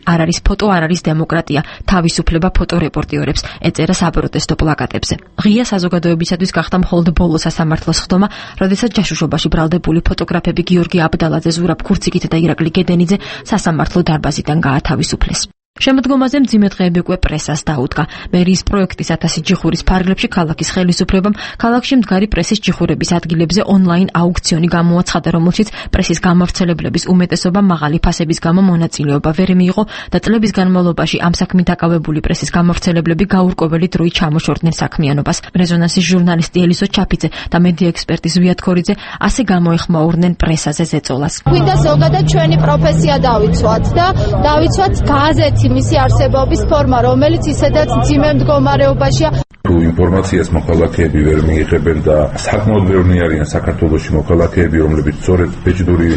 არ არის ფოტო, არ არის დემოკრატია, თავისუფლება ფოტორეპორტიორებს, ეწერა საპროტესტო პლაკატებზე. ღია საზოგადოებისათვის გახდა მხოლოდ ბოლო სასამართლოს სხდომა, როდესაც ჯაშუშობაში ბრალდებული ფოტოგრაფები გიორგი აბდალაძე, ზურაბ ქურციკიძე და ირაკლი გედენიძე სასამართლო დარბაზიდან გაათავისუფლეს. შემოდგომაზე მძიმე დღეები უკვე პრესას დაუდგა. მერიის პროექტის ათასი ჯიხურის ფარგლებში ქალაქის ხელისუფლებამ ქალაქში მდგარი პრესის ჯიხურების ადგილებზე ონლაინ აუქციონი გამოაცხადა, რომელშიც პრესის გამავრცელებლების უმეტესობა მაღალი ფასების გამო მონაწილეობა ვერ მიიღო და წლების განმავლობაში ამ საქმით დაკავებული პრესის გამავრცელებლები გაურკვეველი დროით ჩამოშორდნენ საქმიანობას. რეზონანსის ჟურნალისტი ელისო ჩაფიძე და მედია ექსპერტი ზვიად ქორიძე ასე გამოეხმაურნენ პრესაზე ზეწოლას. გვინდა ზოგადად ჩვენი პროფესია დავიცვათ და დავიცვათ გაზეთი მისი არსებობის ფორმა, რომელიც ისედაც მძიმე მდგომარეობაშია. თუ ინფორმაციას მოქალაქეები ვერ მიიღებენ და საკმაოდ ბევრი არიან საქართველოში მოქალაქეები, რომლებიც სწორედ ბეჭდური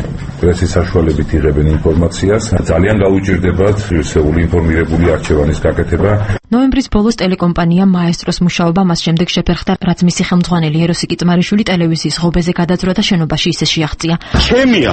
პრესის საშუალებით იღებენ ინფორმაციას, ძალიან გაუჭირდებათ ისეული ინფორმირებული არჩევანის გაკეთება. ნოემბრის ბოლოს ტელეკომპანია მაესტროს მუშაობა მას შემდეგ შეფერხდა, რაც მისი ხელმძღვანელი ეროსი კიწმარიშვილი ტელევიზიის ღობეზე გადაძვრა და შენობაში ისე შეაღწია. ჩემია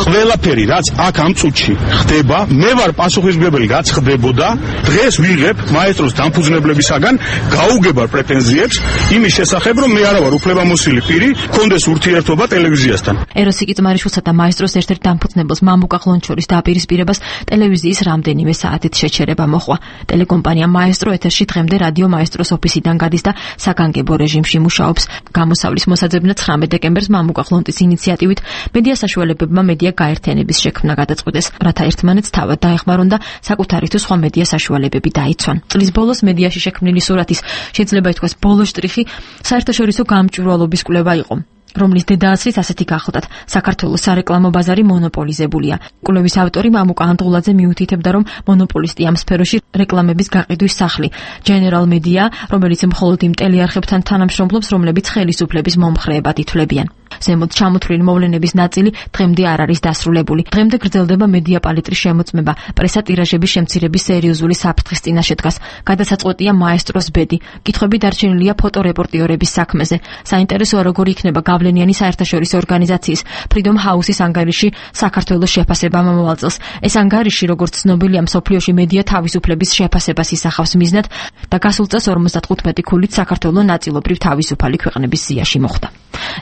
ყველაფერი, რაც აქ ამ წუთში ხდება, მე ვარ პასუხისმგებელი, რაც ხდებოდა. დღეს ვიღებ მაესტროს დამფუძნებლებისაგან გაუგებარ პრეტენზიებს იმის შესახებ, რომ მე არა ვარ უფლებამოსილი პირი, კონდეს ურთიერთობა ტელევიზიასთან. ეროსი კიწმარიშვილსა და მაესტროს ერთ-ერთ დამფუძნებელს მამუკა ხლონჩორის დაპირისპირებას ტელევიზიის რამდენიმე საათით შეჩერება მოჰყვა. ტელეკომპანია მაესტრო ეთერში დღემდე რადიო მაესტროს ოფისიდან გადის და საგანგებო რეჟიმში მუშაობს. გამოსავლის მოსაძებნად ცხრამეტ დეკემბერს მამუკა ხლონტის ინიციატივით მედია საშუალებებმა მედია გაერთიანების შექმნა გადაწყვიტეს, რათა ერთმანეთს თავად დაეხმარონ და საკუთარი თუ სხვა მედია საშუალებები დაიცვან. წლის ბოლოს მედიაში შექმნილი სურათის შეიძლება ითქვას ბოლო შტრიხი საერთაშორისო გამჭვირვალობის კვლევა იყო, რომლის დედააცრით ასეთი გახლდათ: საქართველოს სარეკლამო ბაზარი მონოპოლიზებულია. კვლევის ავტორი მამუკა ანდღულაძე მიუთითებდა, რომ მონოპოლისტი ამ სფეროში რეკლამების გაყიდვის სახლი General Media, რომელიც მხოლოდ იმ ტელეარხებთან თანამშრომლობს, რომლებიც ხელისუფლების მომხრეებად ითვლებიან. ზემოთ ჩამოთვლილი მოვლენების ნაწილი დღემდე არ არის დასრულებული. დღემდე გრძელდება მედია პალიტრის შემოწმება, პრესა ტირაჟების შემცირების სერიოზული საფრთხის წინაშე დგას. გადასაწყვეტია მაესტროს ბედი. კითხვები დარჩენილია ფოტორეპორტიორების საქმეზე. საინტერესოა, როგორ იქნება გავლენიანი საერთაშორისო ორგანიზაციის Freedom House-ის ანგარიში საქართველოს შეფასება მომავალ წელს. ეს ანგარიში, როგორც ცნობილია, მსოფლიოში მედია თავისუფლების შეფასებას ისახავს მიზნად და გასულ წელს ორმოცდათხუთმეტი ქულით საქართველო ნაწილობრივ თავისუფალი ქვეყნების სიაში მოხვდა.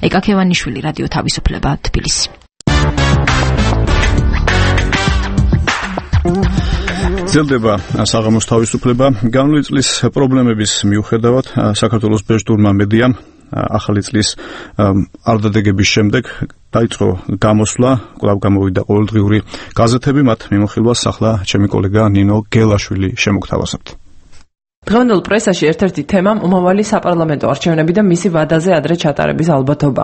ეკა ქევანიშვილი, რადიო თავისუფლება, თბილისი. ძლდება საღამოს თავისუფლება. განვლილი წლის პრობლემების მიუხედავად საქართველოს ბეჭდურმა მედიამ ახალი წლის არდადეგების შემდეგ დაიწყო გამოსვლა, კვლავ გამოვიდა ყოველდღიური გაზეთები, მათ მიმოხილვას ახლა ჩემი კოლეგა ნინო გელაშვილი შემოგთავაზებთ. დღევანდელ პრესაში ერთ-ერთი თემა მომავალი საპარლამენტო არჩევნები და მისი ვადაზე ადრე ჩატარების ალბათობა.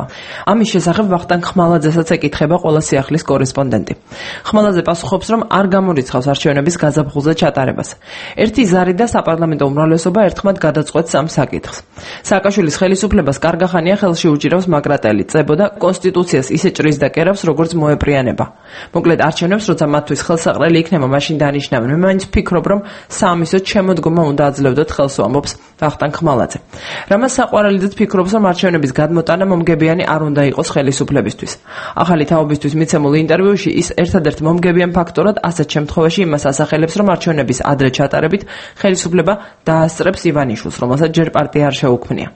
ამის შესახებ ვახტანგ ხმალაძესაც ეკითხება ყველა სიახლის კორესპონდენტი. ხმალაძე პასუხობს, რომ არ გამორიცხავს არჩევნების გაზაფხულზე ჩატარებას. ერთი ზარი და საპარლამენტო უმრავლესობა ერთხმად გადაწყვეტს ამ საკითხს. სააკაშვილის ხელისუფლებას კარგახანია ხელში უჭირავს მაგრატელი, წებო და კონსტიტუციას ისე ჭრის და კერავს, როგორც მოეპრიანება. მოკლედ არჩევნებს, როცა მათთვის ხელსაყრელი იქნება, მაშინ დანიშნავენ. მე მაინც ვფიქრობ, რომ საამისოდ შემოდგომა უნდა აძლევდეთ ხელს ამბობს ვახტანგ ხმალაძე. რამაც საყვარელიდაც ფიქრობს, რომ არჩევნების გადმოტანა მომგებიანი არ უნდა იყოს ხელისუფლებისთვის. ახალი თაობისთვის მიცემულ ინტერვიუში ის ერთადერთ მომგებიან ფაქტორად ასეთ შემთხვევაში იმას ასახელებს, რომ არჩევნების ადრე ჩატარებით ხელისუფლება დაასწრებს ივანიშვილს, რომელსაც ჯერ პარტია არ შეუქმნია.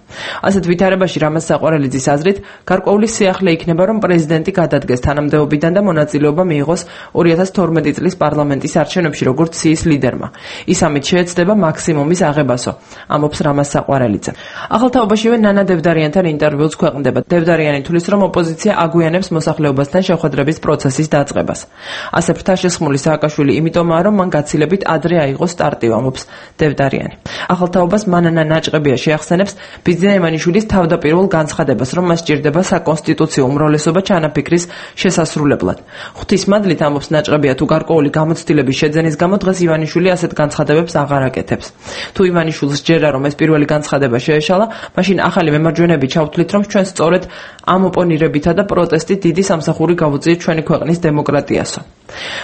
ასეთ ვითარებაში რამაც საყვარელიძის აზრით, გარკვეული სიახლე იქნება, რომ პრეზიდენტი გადადგეს თანამდებობიდან და მონაწილეობა მიიღოს ორი ათას თორმეტი წლის პარლამენტის არჩევნებში, როგორც სიის ლიდერმა. ის ამით შეეცდება მაქსიმუმის აღებასო, ამობს რამაზ საყვარელიძე. ახალ თაობაშივე ნანა დევდარიანთან ინტერვიუს ქვეყნდება. დევდარიანი თulis, რომ ოპოზიცია აგვიანებს მოსახლეობასთან შეხვედრების პროცესის დაწყებას. ასე ფრთაშესხმული სააკაშვილი იმიტომაა, რომ მან გაცილებით ადრე აიღო სტარტი, ამობს დევდარიანი. ახალ თაობას მანანა ნაჭყებია შეახსენებს ბიძინა ივანიშვილის თავდაპირველ განცხადებას, რომ მას სჭირდება საკონსტიტუციო უმრავლესობა ჩანაფიქრის შესასრულებლად. ღვთისმადლით, ამობს ნაჭყებია, თუ გარკვეული გამოცდილების შეძენის გამო დღეს ივანიშვილი ასეთ განცხადებებს აღარ აკეთებს. თუ ივანიშვილს ჯერა, რომ ეს პირველი განცხადება შეეშალა, მაშინ ახალი მემარჯვენეები ჩავთვლით, რომ ჩვენ სწორედ ამ ოპონირებითა და პროტესტით დიდი სამსახური გავუწიეთ ჩვენი ქვეყნის დემოკრატიასო.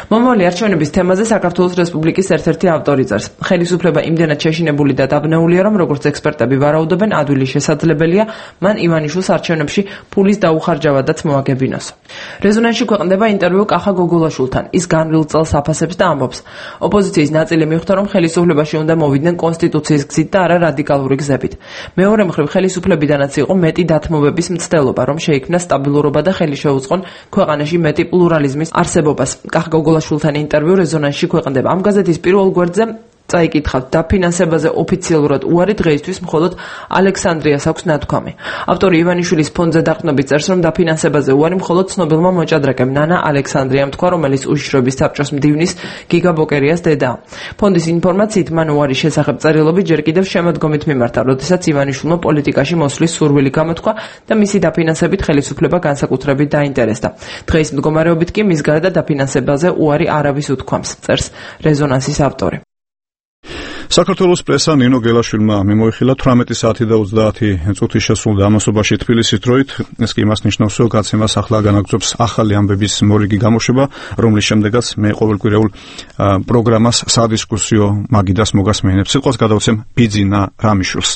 მომავალი არჩევნების თემაზე საქართველოს რესპუბლიკის ერთ-ერთი ავტორი წერს: ხელისუფლება იმდენად შეშინებული და დაბნეულია, რომ როგორც ექსპერტები ვარაუდობენ, ადვილი შესაძლებელია მან ივანიშვილს არჩევნებში ფულის დაუხარჯავადაც მოაგებინოსო. რეზონანსში ქვეყნდება ინტერვიუ კახა გოგოლაშვილთან. ის განვლილ წელს აფასებს და ამბობს: ოპოზიციის ნაწილი მიხვდა, რომ ხელისუფლებაში უნდა მოვიდნენ კონსტიტუციის გზით და არა რადიკალური გზებით. მეორე მხრივ, ხელისუფლებიდანაც იყო მეტი დათმობების მცდელობა, რომ შეიქმნა სტაბილურობა და ხელი შეუწყონ ქვეყანაში მეტი პლურალიზმის არსებობას. კახ გოგოლაშვილთან ინტერვიუ რეზონანსში ქვეყნდება. ამ გაზეთის პირველ გვერდზე წაიკითხავთ დაფინანსებაზე ოფიციალურად უარი დღეისთვის მხოლოდ ალექსანდრიას აქვს ნათქვამი. ავტორი ივანიშვილის ფონდზე დაყრდნობით წერს, რომ დაფინანსებაზე უარი მხოლოდ ცნობილმა მოჭადრაკემ ნანა ალექსანდრიამ თქვა, რომელიც უშიშროების საბჭოს მდივნის გიგა ბოკერიას დედაა. ფონდის ინფორმაციით მან უარის შესახებ წერილობით ჯერ კიდევ შემოდგომით მიმართა, როდესაც ივანიშვილმა პოლიტიკაში მოსვლის სურვილი გამოთქვა და მისი დაფინანსებით ხელისუფლება განსაკუთრებით დაინტერესდა. დღეის მდგომარეობით კი მის გარდა დაფინანსებაზე უარი არავის უთქვამს, წერს რეზონანსის ავტორი. საქართველოს პრესა ნინო გელაშვილმა მიმოიხილა თვრამეტი საათი და ოცდაათი წუთი შესრულდა ამასობაში თბილისის დროით. ეს კი იმას ნიშნავს, რომ გაცემას ახლა განაგრძობს ახალი ამბების მორიგი გამოშვება, რომლის შემდეგაც მე ყოველკვირეულ პროგრამას სადისკუსიო მაგიდას მოგასმენებს. სიტყვას გადავცემ ბიძინა რამიშვილს.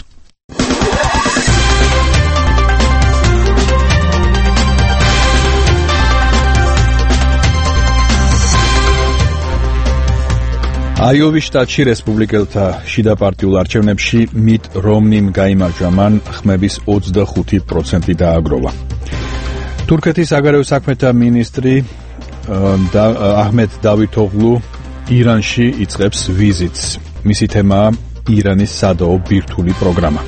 აიოვის შტატში რესპუბლიკელთა შიდა პარტიულ არჩევნებში მიტ რომნიმ გაიმარჯვა, მან ხმების ოცდახუთი პროცენტი დააგროვა. თურქეთის საგარეო საქმეთა მინისტრი აჰმედ დავითოღლუ ირანში იწყებს ვიზიტს. მისი თემაა ირანის სადაო ბირთვული პროგრამა.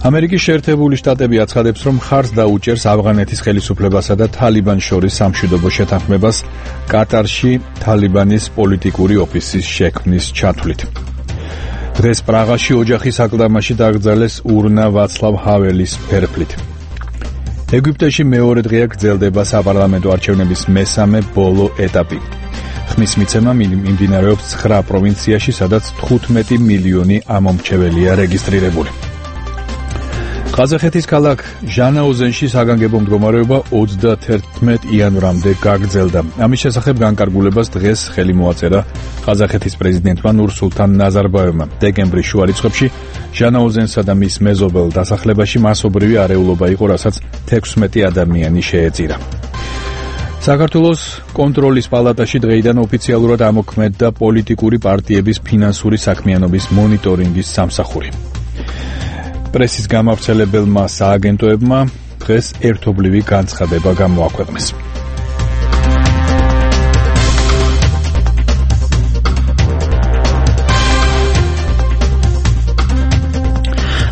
ამერიკის შეერთებული შტატები აცხადებს, რომ მხარს დაუჭერს ავღანეთის ხელისუფლებასა და თალიბანს შორის სამშვიდობო შეთანხმებას კატარში თალიბანის პოლიტიკური ოფისის შექმნის ჩათვლით. დღეს პრაღაში ოჯახის აკლდამაში დაკრძალეს ურნა ვაცლავ ჰაველის ფერფლით. ეგვიპტეში მეორე დღეა გრძელდება საპარლამენტო არჩევნების მესამე ბოლო ეტაპი. ხმის მიცემა მიმდინარეობს ცხრა პროვინციაში, სადაც თხუთმეტი მილიონი ამომრჩეველია რეგისტრირებული. ყაზახეთის ქალაქ ჟანაოზენში საგანგებო მდგომარეობა ოცდათერთმეტ იანვრამდე გაგრძელდა. ამის შესახებ განკარგულებას დღეს ხელი მოაწერა ყაზახეთის პრეზიდენტმა ნურსულთან ნაზარბაევმა. დეკემბრის შუა რიცხვებში ჟანაოზენსა და მის მეზობელ დასახლებაში მასობრივი არეულობა იყო, რასაც თექვსმეტი ადამიანი შეეწირა. საქართველოს კონტროლის პალატაში დღეიდან ოფიციალურად ამოქმედდა პოლიტიკური პარტიების ფინანსური საქმიანობის მონიტორინგის სამსახური. პრესის გამავრცელებელმა სააგენტოებმა დღეს ერთობლივი განცხადება გამოაქვეყნეს.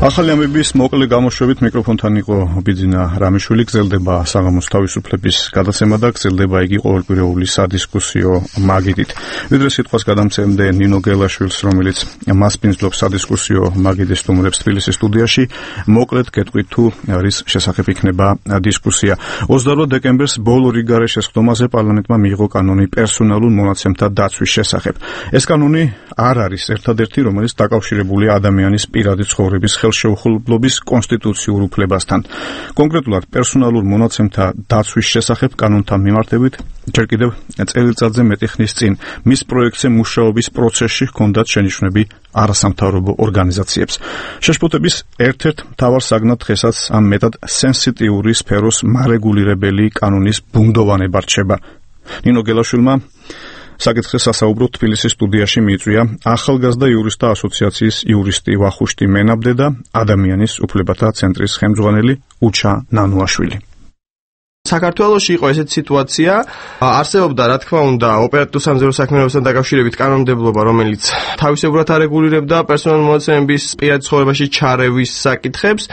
ახალი ამბების მოკლე გამოშვებით მიკროფონთან იყო ბიძინა რამიშვილი. გრძელდება საღამოს თავისუფლების გადაცემა და გრძელდება იგი ყოველკვირეული სადისკუსიო მაგიდით. ვიდრე სიტყვას გადამცემდე ნინო გელაშვილს, რომელიც მასპინძლობს სადისკუსიო მაგიდის სტუმრებს თბილისის სტუდიაში, მოკლედ გეტყვით თუ არის შესახებ იქნება დისკუსია. ოცდაოთხ დეკემბერს ბოლო რიგ გარეშესხდომაზე პარლამენტმა მიიღო კანონი პერსონალურ მონაცემთა დაცვის შესახებ. ეს კანონი არ არის ერთადერთი, რომელიც დაკავშირებულია ადამიანის პირადი ცხოვრების ხელშეუხლებლობის კონსტიტუციურ უფლებასთან. კონკრეტულად პერსონალურ მონაცემთა დაცვის შესახებ კანონთან მიმართებით ჯერ კიდევ წელიწადზე მეტი ხნის წინ მის პროექტზე მუშაობის პროცესში ჰქონდათ შენიშვნები არასამთავრობო ორგანიზაციებს. შეშფოთების ერთ-ერთ მთავარ საგნად დღესაც ამ მეტად სენსიტიური სფეროს მარეგულირებელი კანონის ბუნდოვანება რჩება. ნინო გელაშვილმა საკითხზე სასაუბრო თბილისის სტუდიაში მიიწვია ახალგაზრდა იურისტთა ასოციაციის იურისტი ვახუშტი მენაბდე და ადამიანის უფლებათა ცენტრის ხელმძღვანელი უჩა ნანუაშვილი. საქართველოში იყო ესეთი სიტუაცია, არსებობდა რა თქმა უნდა ოპერატიულ სამზარეულო საქმიანობასთან დაკავშირებით კანონმდებლობა, რომელიც თავისებურად არეგულირებდა პერსონალურ მონაცემების პირად ცხოვრებაში ჩარევის საკითხებს,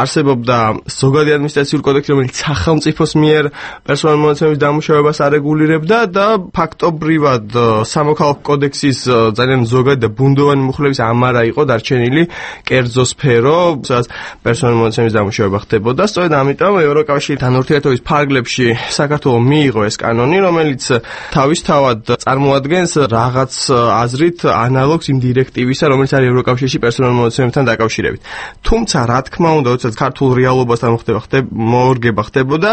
არსებობდა ზოგადი ადმინისტრაციული კოდექსი, რომელიც სახელმწიფოს მიერ პერსონალურ მონაცემების დამუშავებას არეგულირებდა და ფაქტობრივად სამოქალაქო კოდექსის ძალიან ზოგადი და ბუნდოვანი მუხლების ამარა იყო დარჩენილი კერძო სფერო, სადაც პერსონალურ მონაცემების დამუშავება ხდებოდა. სწორედ ამიტომ ევროკავშირთან ურთიერთობის ფარგლებში საქართველოს მიიღო ეს კანონი, რომელიც თავისთავად წარმოადგენს რაღაც აზრით ანალოგს იმ დირექტივისა, რომელიც არის ევროკავშირში პერსონალურ მონაცემებთან დაკავშირებით. თუმცა, რა თქმა უნდა, როდესაც ქართულ რეალობასთან მოხდება მორგება ხდებოდა,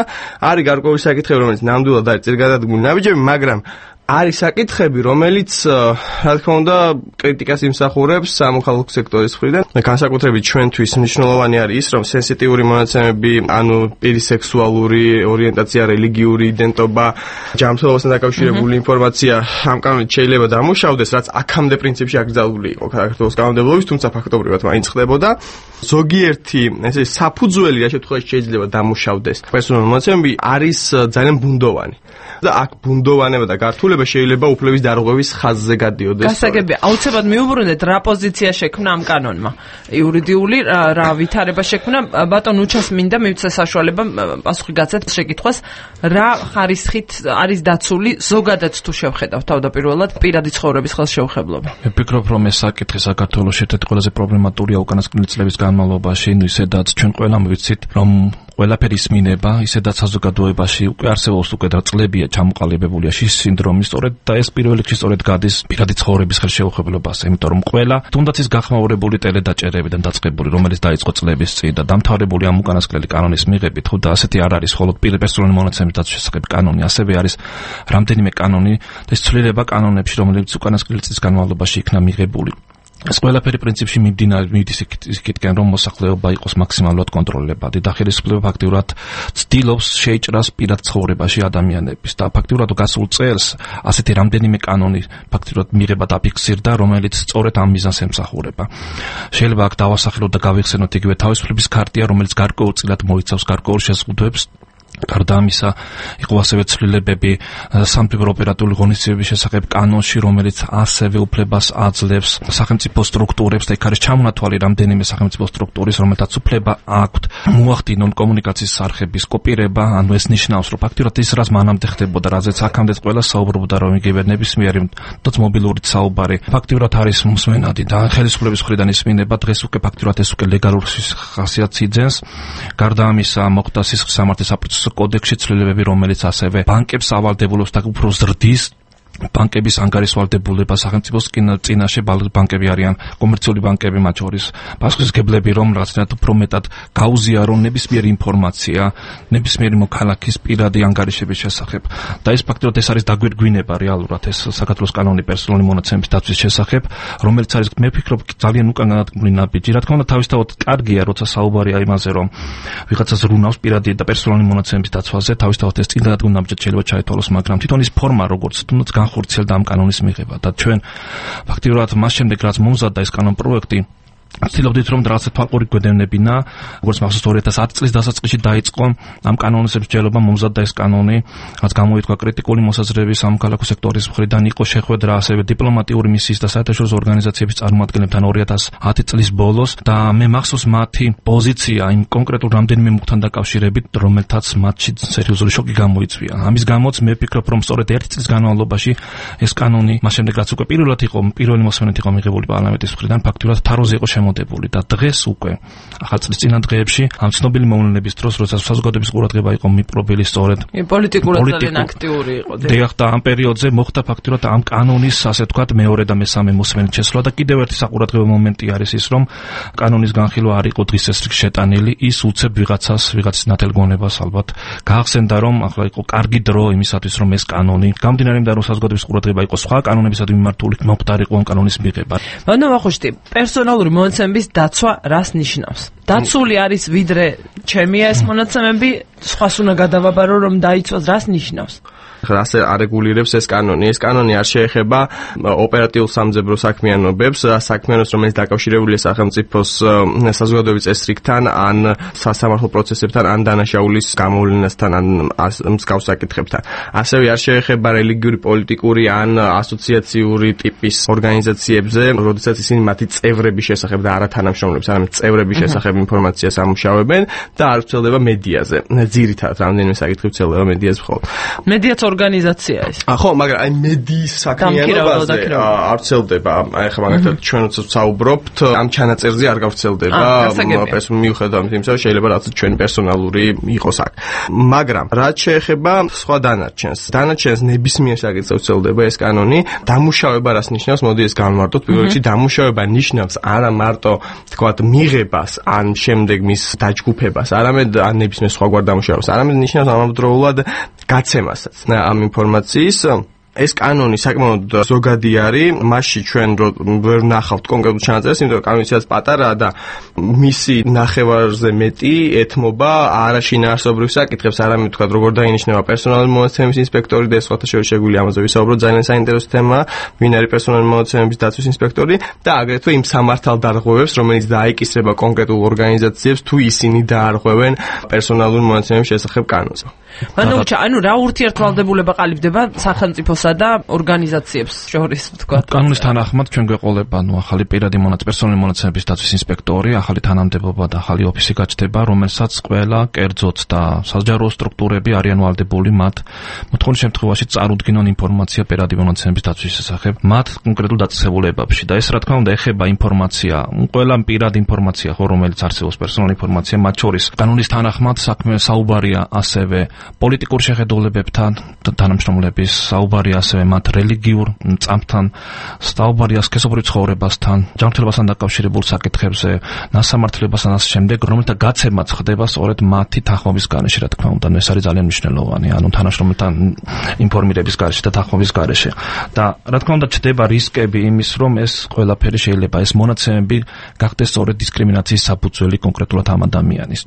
არის გარკვეული საკითხები, რომელიც ნამდვილად არის წინგადადგმული ნაბიჯები, მაგრამ არის საკითხები, რომელიც რა თქმა უნდა კრიტიკას იმსახურებს სამოქალაქო სექტორის მხრიდან. განსაკუთრებით ჩვენთვის მნიშვნელოვანი არის ის, რომ სენსიტიური მონაცემები, ანუ პირის სექსუალური ორიენტაცია, რელიგიური იდენტობა, ჯანმრთელობასთან დაკავშირებული ინფორმაცია ამ კანონით შეიძლება დამუშავდეს, რაც აქამდე პრინციპში აკრძალული იყო საქართველოს კანონმდებლობის, თუმცა ფაქტობრივად მაინც ხდებოდა. ზოგიერთი ესე საფუძველი რა შემთხვევაში შეიძლება დამუშავდეს პერსონალური მონაცემები არის ძალიან ბუნდოვანი. და აქ ბუნდოვანება და გართულება შეიძლება უფლების დარღვევის ხაზზე გადიოდეს. გასაგებია, აუცილებლად მიუბრუნდეთ რა პოზიცია შექმნა ამ კანონმა. იურიდიული რა ვითარება შექმნა, ბატონ უჩას მინდა მივცე საშუალება პასუხი გაცეთ შეკითხვას, რა ხარისხით არის დაცული ზოგადად თუ შევხედავთ თავდაპირველად პირადი ცხოვრების ხელშეუხებლობა. მე ვფიქრობ, რომ ეს საკითხი საქართველოს ერთ-ერთი ყველაზე პრობლემატურია უკანასკნელი წლების განმავლობაში, ისედაც ჩვენ ყველამ ვიცით, რომ ყველაფერი ისმინება, ისედაც საზოგადოებაში უკვე არსებობს უკვე და წლებია ჩამოყალიბებულია შის სინდრომი, სწორედ და ეს პირველ რიგში სწორედ გადის პირადი ცხოვრების ხელშეუხებლობაზე, იმიტომ რომ ყველა, თუნდაც ის გახმაურებული ტელედაჭერებიდან დაწყებული, რომელიც დაიწყო წლების წინ და დამთავრებული ამ უკანასკნელი კანონის მიღებით, ხო და ასეთი არ არის მხოლოდ პირპერსონალური მონაცემების დაცვის შესახებ კანონი, ასევე არის რამდენიმე კანონი და ეს ცვლილება კანონებში, რომელიც უკანასკნელი წლის განმავლობაში იქნა მიღებული. ეს ყველაფერი პრინციპში მიმდინარე მიდის იქითკენ, რომ მოსახლეობა იყოს მაქსიმალურად კონტროლებადი და ხელისუფლება ფაქტიურად ცდილობს შეიჭრას პირად ცხოვრებაში ადამიანების და ფაქტიურად გასულ წელს ასეთი რამდენიმე კანონი ფაქტიურად მიღება დაფიქსირდა, რომელიც სწორედ ამ მიზანს ემსახურება. შეიძლება აქ დავასახელოთ და გავიხსენოთ იგივე თავისუფლების ქარტია, რომელიც გარკვეულწილად მოიცავს გარკვეულ შეზღუდვებს. გარდა ამისა, იყო ასევე ცვლილებები სამხედრო ოპერატიული ღონისძიებების შესახებ კანონში, რომელიც ასევე უფლებას აძლევს სახელმწიფო სტრუქტურებს და იქ არის ჩამონათვალი რამდენიმე სახელმწიფო სტრუქტურის, რომელთაც უფლება აქვთ მოახდინონ კომუნიკაციის არხების კოპირება, ანუ ეს ნიშნავს, რომ ფაქტიურად ის რაც მანამდე ხდებოდა, რაზეც აქამდე ყველა საუბრობდა, რომ იგივე ნებისმიერი თუნდაც მობილური საუბარი ფაქტიურად არის მსმენადი და ხელისუფლების მხრიდან ისმინება, დღეს უკვე ფაქტიურად ეს უკვე ლეგალური ხასიათს იძენს. გარდა ამისა, მოხდა სისხლის სამართლის საპროცესო კოდექსში ცვლილებები, რომელიც ასევე ბანკებს ავალდებულებს და უფრო ზრდის ბანკების ანგარიშვალდებულება სახელმწიფოს წინაშე ბანკები არიან კომერციული ბანკები მათ შორის პასუხისმგებლები რომ რაღაცნაირად უფრო მეტად გაუზიარონ ნებისმიერი ინფორმაცია ნებისმიერი მოქალაქის პირადი ანგარიშების შესახებ და ეს ფაქტობრივად ეს არის დაგვირგვინება რეალურად ეს საქართველოს კანონი პერსონალური მონაცემების დაცვის შესახებ რომელიც არის მე ვფიქრობ ძალიან უკან განადგმული ნაბიჯი რა თქმა უნდა თავისთავად კარგია როცა საუბარია იმაზე რომ ვიღაცას რუნავს პირადი და პერსონალური მონაცემების დაცვაზე თავისთავად ეს წინ განადგმული ნაბიჯი შეიძლება ჩაითვალოს მაგრამ თვითონ ის ფორმა როგორც თუნდაც ხორცელდა ამ კანონის მიღება და ჩვენ ფაქტიურად მას შემდეგ რაც მომზადდა ეს კანონ პროექტი ვცდილობდით რომ რაღაცა თვალყური გვედევნებინა როგორც მახსოვს ორი ათას ათი წლის დასაწყისში დაიწყო ამ კანონის მსჯელობა მომზადდა ეს კანონი რაც გამოითქვა კრიტიკული მოსაზრების სამოქალაქო სექტორის მხრიდან იყო შეხვედრა ასევე დიპლომატიური მისიის და საერთაშორისო ორგანიზაციების წარმომადგენლებთან ორი ათას ათი წლის ბოლოს და მე მახსოვს მათი პოზიცია იმ კონკრეტულ რამდენიმე მუხთან დაკავშირებით რომელთაც მათში სერიოზული შოკი გამოიწვია ამის გამოც მე ვფიქრობ რომ სწორედ ერთი წლის განმავლობაში ეს კანონი მას შემდეგ რაც უკვე პირველად იყო პირველი მოსმენით იყო მიღებული პარლამენტის მხრიდან ფაქტიურად თაროზე იყო მოდებული და დღეს უკვე ახალ წლის წინა დღეებში ამ ცნობილი მოვლენების დროს როცა საზოგადოების ყურადღება იყო მიპყრობილი სწორედ პოლიტიკურად ძალიან აქტიური იყო დიახ და ამ პერიოდზე მოხდა ფაქტიურად ამ კანონის ასე ვთქვათ მეორე და მესამე მოსმენით შესვლა და კიდევ ერთი საყურადღებო მომენტი არის ის რომ კანონის განხილვა არ იყო დღის ეს რიგ შეტანილი ის უცებ ვიღაცას ვიღაცის ნათელგონებას ალბათ გაახსენდა რომ ახლა იყო კარგი დრო იმისათვის რომ ეს კანონი გამდინარე იმიდან რომ საზოგადოების ყურადღება იყო სხვა კანონებისადმი მიმართული მომხდარიყო ამ კანონის მიღება ანუ ვახუშტი პერსონალური მონაცემების დაცვა რას ნიშნავს? დაცული არის ვიდრე ჩემია ეს მონაცემები, სხვას უნდა გადავაბარო რომ დაიცვას რას ნიშნავს? ასე არეგულირებს ეს კანონი. ეს კანონი არ შეეხება ოპერატიულ სამძებრო საქმიანობებს, საქმიანობს, რომელიც დაკავშირებულია სახელმწიფოს საზოგადოების წესრიგთან, ან სასამართლო პროცესებთან, ან დანაშაულის გამოვლენასთან, ან მსგავს საკითხებთან. ასევე არ შეეხება რელიგიური, პოლიტიკური ან ასოციაციური ტიპის ორგანიზაციებზე, როდესაც ისინი მათი წევრების შესახებ და არა თანამშრომლებს, არამედ წევრების შესახებ ინფორმაციას ამუშავებენ და არ ვრცელდება მედიაზე. ძირითადად რამდენიმე საკითხი ვრცელდება მედიაზე მხოლოდ. მედიაც ორგანიზაცია ეს. ხო, მაგრამ აი მედიის საქმიანობაზე არ ვრცელდება. აი ხა მაგალითად ჩვენ როცა ვსაუბრობთ, ამ ჩანაწერზე არ გავრცელდება. პერსონალური მიუხედავად იმისა, რომ შეიძლება რაც ჩვენი პერსონალური იყოს აქ. მაგრამ რაც შეეხება სხვა დანარჩენს, დანარჩენს ნებისმიერ საკითხზე ვრცელდება ეს კანონი. დამუშავება რას ნიშნავს? მოდი ეს განვარტოთ. პირველ რიგში დამუშავება ნიშნავს არა მარტო თქვათ მიღებას, ან შემდეგ მის დაჯგუფებას, არამედ ან ნებისმიერ სხვაგვარ დამუშავებას, არამედ ნიშნავს ამავდროულად გაცემასაც. ამ ინფორმაციის ეს კანონი საკმაოდ ზოგადი არის, მასში ჩვენ ვერ ნახავთ კონკრეტულ ჩანაწერს, იმიტომ რომ კანონიც პატარაა და მისი ნახევარზე მეტი ეთმობა არაშინაარსობრივ საკითხებს, არამედ თქვა როგორ დაინიშნება პერსონალური მონაცემების ინსპექტორი და სხვათა შორის შეგვიძლია ამაზე ვისაუბროთ, ძალიან საინტერესო თემაა, ვინ არის პერსონალური მონაცემების დაცვის ინსპექტორი და აგრეთვე იმ სამართალდარღვევებს, რომელიც დაიკისრება კონკრეტულ ორგანიზაციებს, თუ ისინი დაარღვევენ პერსონალური მონაცემების შესახებ კანონს. მანუჩა, ანუ რა ურთიერთვალდებულება ყალიბდება სახელმწიფოსა და ორგანიზაციებს შორის, თქვა. კანონის თანახმად ჩვენ გვეყოლება, ანუ ახალი პირადი მონაცემების პერსონალური მონაცემების დაცვის ინსპექტორი, ახალი თანამდებობა და ახალი ოფისი გაჩნდება, რომელსაც ყველა კერძოც და საჯარო სტრუქტურები არიან ვალდებული მათ მოთხოვნის შემთხვევაში წარუდგინონ ინფორმაცია პირადი მონაცემების დაცვის შესახებ მათ კონკრეტულ დაწესებულებებში და ეს რა თქმა უნდა ეხება ინფორმაცია, ყველა პირადი ინფორმაცია, ხო, რომელიც არსებობს პერსონალური ინფორმაცია, მათ შორის კანონის თანახმად საქმე საუბარია ასევე პოლიტიკურ შეხედულებებთან თანამშრომლების, საუბარია ასევე მათ რელიგიურ წამთან, საუბარია სქესობრივ ცხოვრებასთან, ჯანმრთელობასთან დაკავშირებულ საკითხებზე, ნასამართლებასთან ასე შემდეგ, რომელთა გაცემაც ხდება სწორედ მათი თანხმობის გარეშე, რა თქმა უნდა, ეს არის ძალიან მნიშვნელოვანი, ანუ თანამშრომელთან ინფორმირების გარეშე და თანხმობის გარეშე. და რა თქმა უნდა, ჩდება რისკები იმის, რომ ეს ყველაფერი შეიძლება ეს მონაცემები გახდეს სწორედ დისკრიმინაციის საფუძველი კონკრეტულად ამ ადამიანის.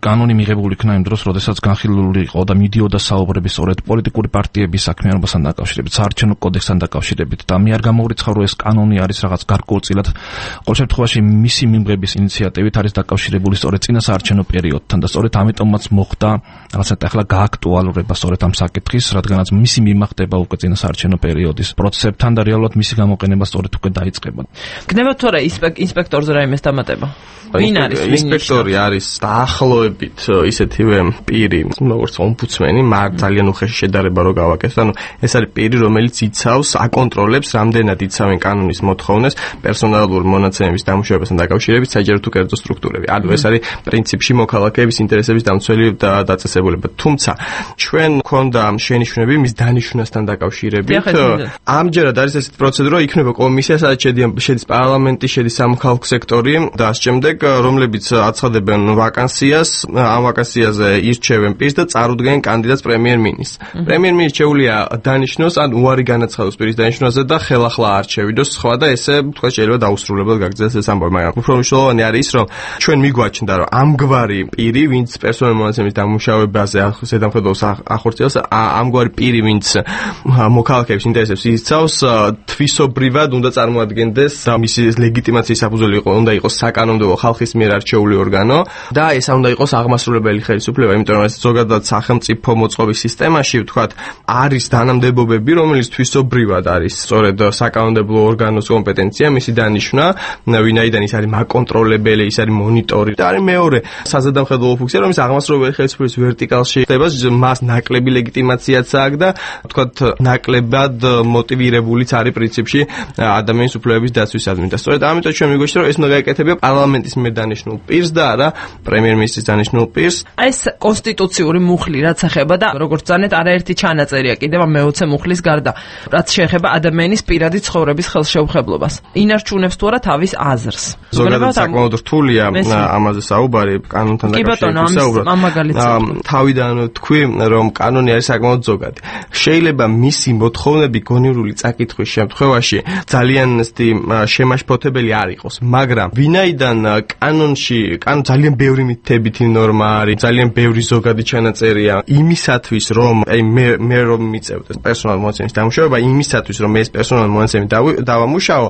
კანონი მიღებული იქნა იმ დროს, როდესაც განხილული იყო და მიდიოდა საუბრები სწორედ პოლიტიკური პარტიების საქმიანობასთან დაკავშირებით, საარჩევნო კოდექსთან დაკავშირებით და მე არ გამოვრიცხავ, რომ ეს კანონი არის რაღაც გარკვეულწილად, ყოველ შემთხვევაში მისი მიმღების ინიციატივით არის დაკავშირებული სწორედ წინა საარჩევნო პერიოდთან და სწორედ ამიტომაც მოხდა რაღაცა ახლა გააქტუალურება სწორედ ამ საკითხის, რადგანაც მისი მიმახდება უკვე წინა საარჩევნო პერიოდის პროცესებთან და რეალურად მისი გამოყენება სწორედ უკვე დაიწყება. გნება თუ არა ინსპექტორზე რაიმეს დამატება? ვინ არის? ინსპექტორი არის დაახლოებით ისეთივე პირი, როგორც ომბუდსმენი, მაგრამ ძალიან უხეში შედარება რო გავაკეთოთ. ანუ ეს არის პირი, რომელიც იცავს, აკონტროლებს, რამდენად იცავენ კანონის მოთხოვნას პერსონალური მონაცემების დამუშავებასთან დაკავშირებით საჯარო თუ კერძო სტრუქტურები. ანუ ეს არის პრინციპში მოქალაქეების ინტერესების დამცველი და დაწესებულება. თუმცა ჩვენ გვქონდა შენიშვნები მის დანიშვნასთან დაკავშირებით. ამჯერად არის ესეთი პროცედურა, იქნება კომისია, სადაც შედის პარლამენტი, შედის სამოქალაქო სექტორი და ამ შემდეგ, რომლებიც აცხადებენ ვაკანსიას, ამ ვაკანსიაზე ირჩევენ პირს და წარუდგენენ კანდიდატს პრემიერ-მინისტრს. პრემიერ-მინისტრი შეუძლია დანიშნოს ან უარი განაცხადოს პირის დანიშნვაზე და ხელახლა არჩევიდოს სხვა და ესე თქვა შეიძლება დაუსრულებლად გაგრძელდეს ეს ამბავი, მაგრამ უფრო მნიშვნელოვანი არის ის, რომ ჩვენ მიგვაჩნდა, რომ ამგვარი პირი, ვინც პერსონალური მონაცემების დამუშავებაზე ზედამხედველს ახორციელებს, ამგვარი პირი, ვინც მოქალაქეების ინტერესებს იცავს, თვისობრივად უნდა წარმოადგენდეს და მისი ლეგიტიმაციის საფუძველი უნდა იყოს საკანონმდებლო ხალხის მიერ არჩეული ორგანო და ეს უნდა იყოს აღმასრულებელი ხელისუფლება, იმიტომ რომ ეს ზოგადად სახელმწიფო მოწყობის სისტემაში, ვთქვათ, არის თანამდებობები, რომელიც თვისობრივად არის სწორედ საკანონმდებლო ორგანოს კომპეტენცია, მისი დანიშვნა, ვინაიდან ის არის მაკონტროლებელი, ის არის მონიტორი და არის მეორე საზედამხედველო ფუნქცია, რომელიც აღმასრულებელი ხელისუფლების ვერტიკალში ხდება, მას ნაკლები ლეგიტიმაციაც აქვს და ვთქვათ, ნაკლებად მოტივირებულიც არის პრინციპში ადამიანის უფლებების დაცვისადმი და სწორედ ამიტომ ჩვენ მიგვეშვა, რომ ეს უნდა გაეკეთებინა პარლამენტის მიერ დანიშნულ პირს და არა პრემიერ-მინისტრის დანიშნულ პირს. ეს კონსტიტუციური მუხლი რაც ეხება და როგორც ძანეთ არაერთი ჩანაწერია კიდევ მეოცე მუხლის გარდა, რაც შეეხება ადამიანის პირადი ცხოვრების ხელშეუხებლობას. ინარჩუნებს თუ არა თავის აზრს. ზოგადად საკმაოდ რთულია ამაზე საუბარი, კანონთან დაკავშირებით საუბრობთ. თავიდან თქვი, რომ კანონი არის საკმაოდ ზოგადი. შეიძლება მისი მოთხოვნები გონივრული წაკითხვის შემთხვევაში ძალიან შემაშფოთებელი არ იყოს, მაგრამ ვინაიდან კანონში კანონ ძალიან ბევრი მითითებითი ნორმა არის, ძალიან ბევრი ზოგადი ჩანაწერია იმისათვის, რომ აი მე მე რომ მიწევდეს პერსონალურ მონაცემის დამუშავება, იმისათვის, რომ ეს პერსონალურ მონაცემები დავამუშავო,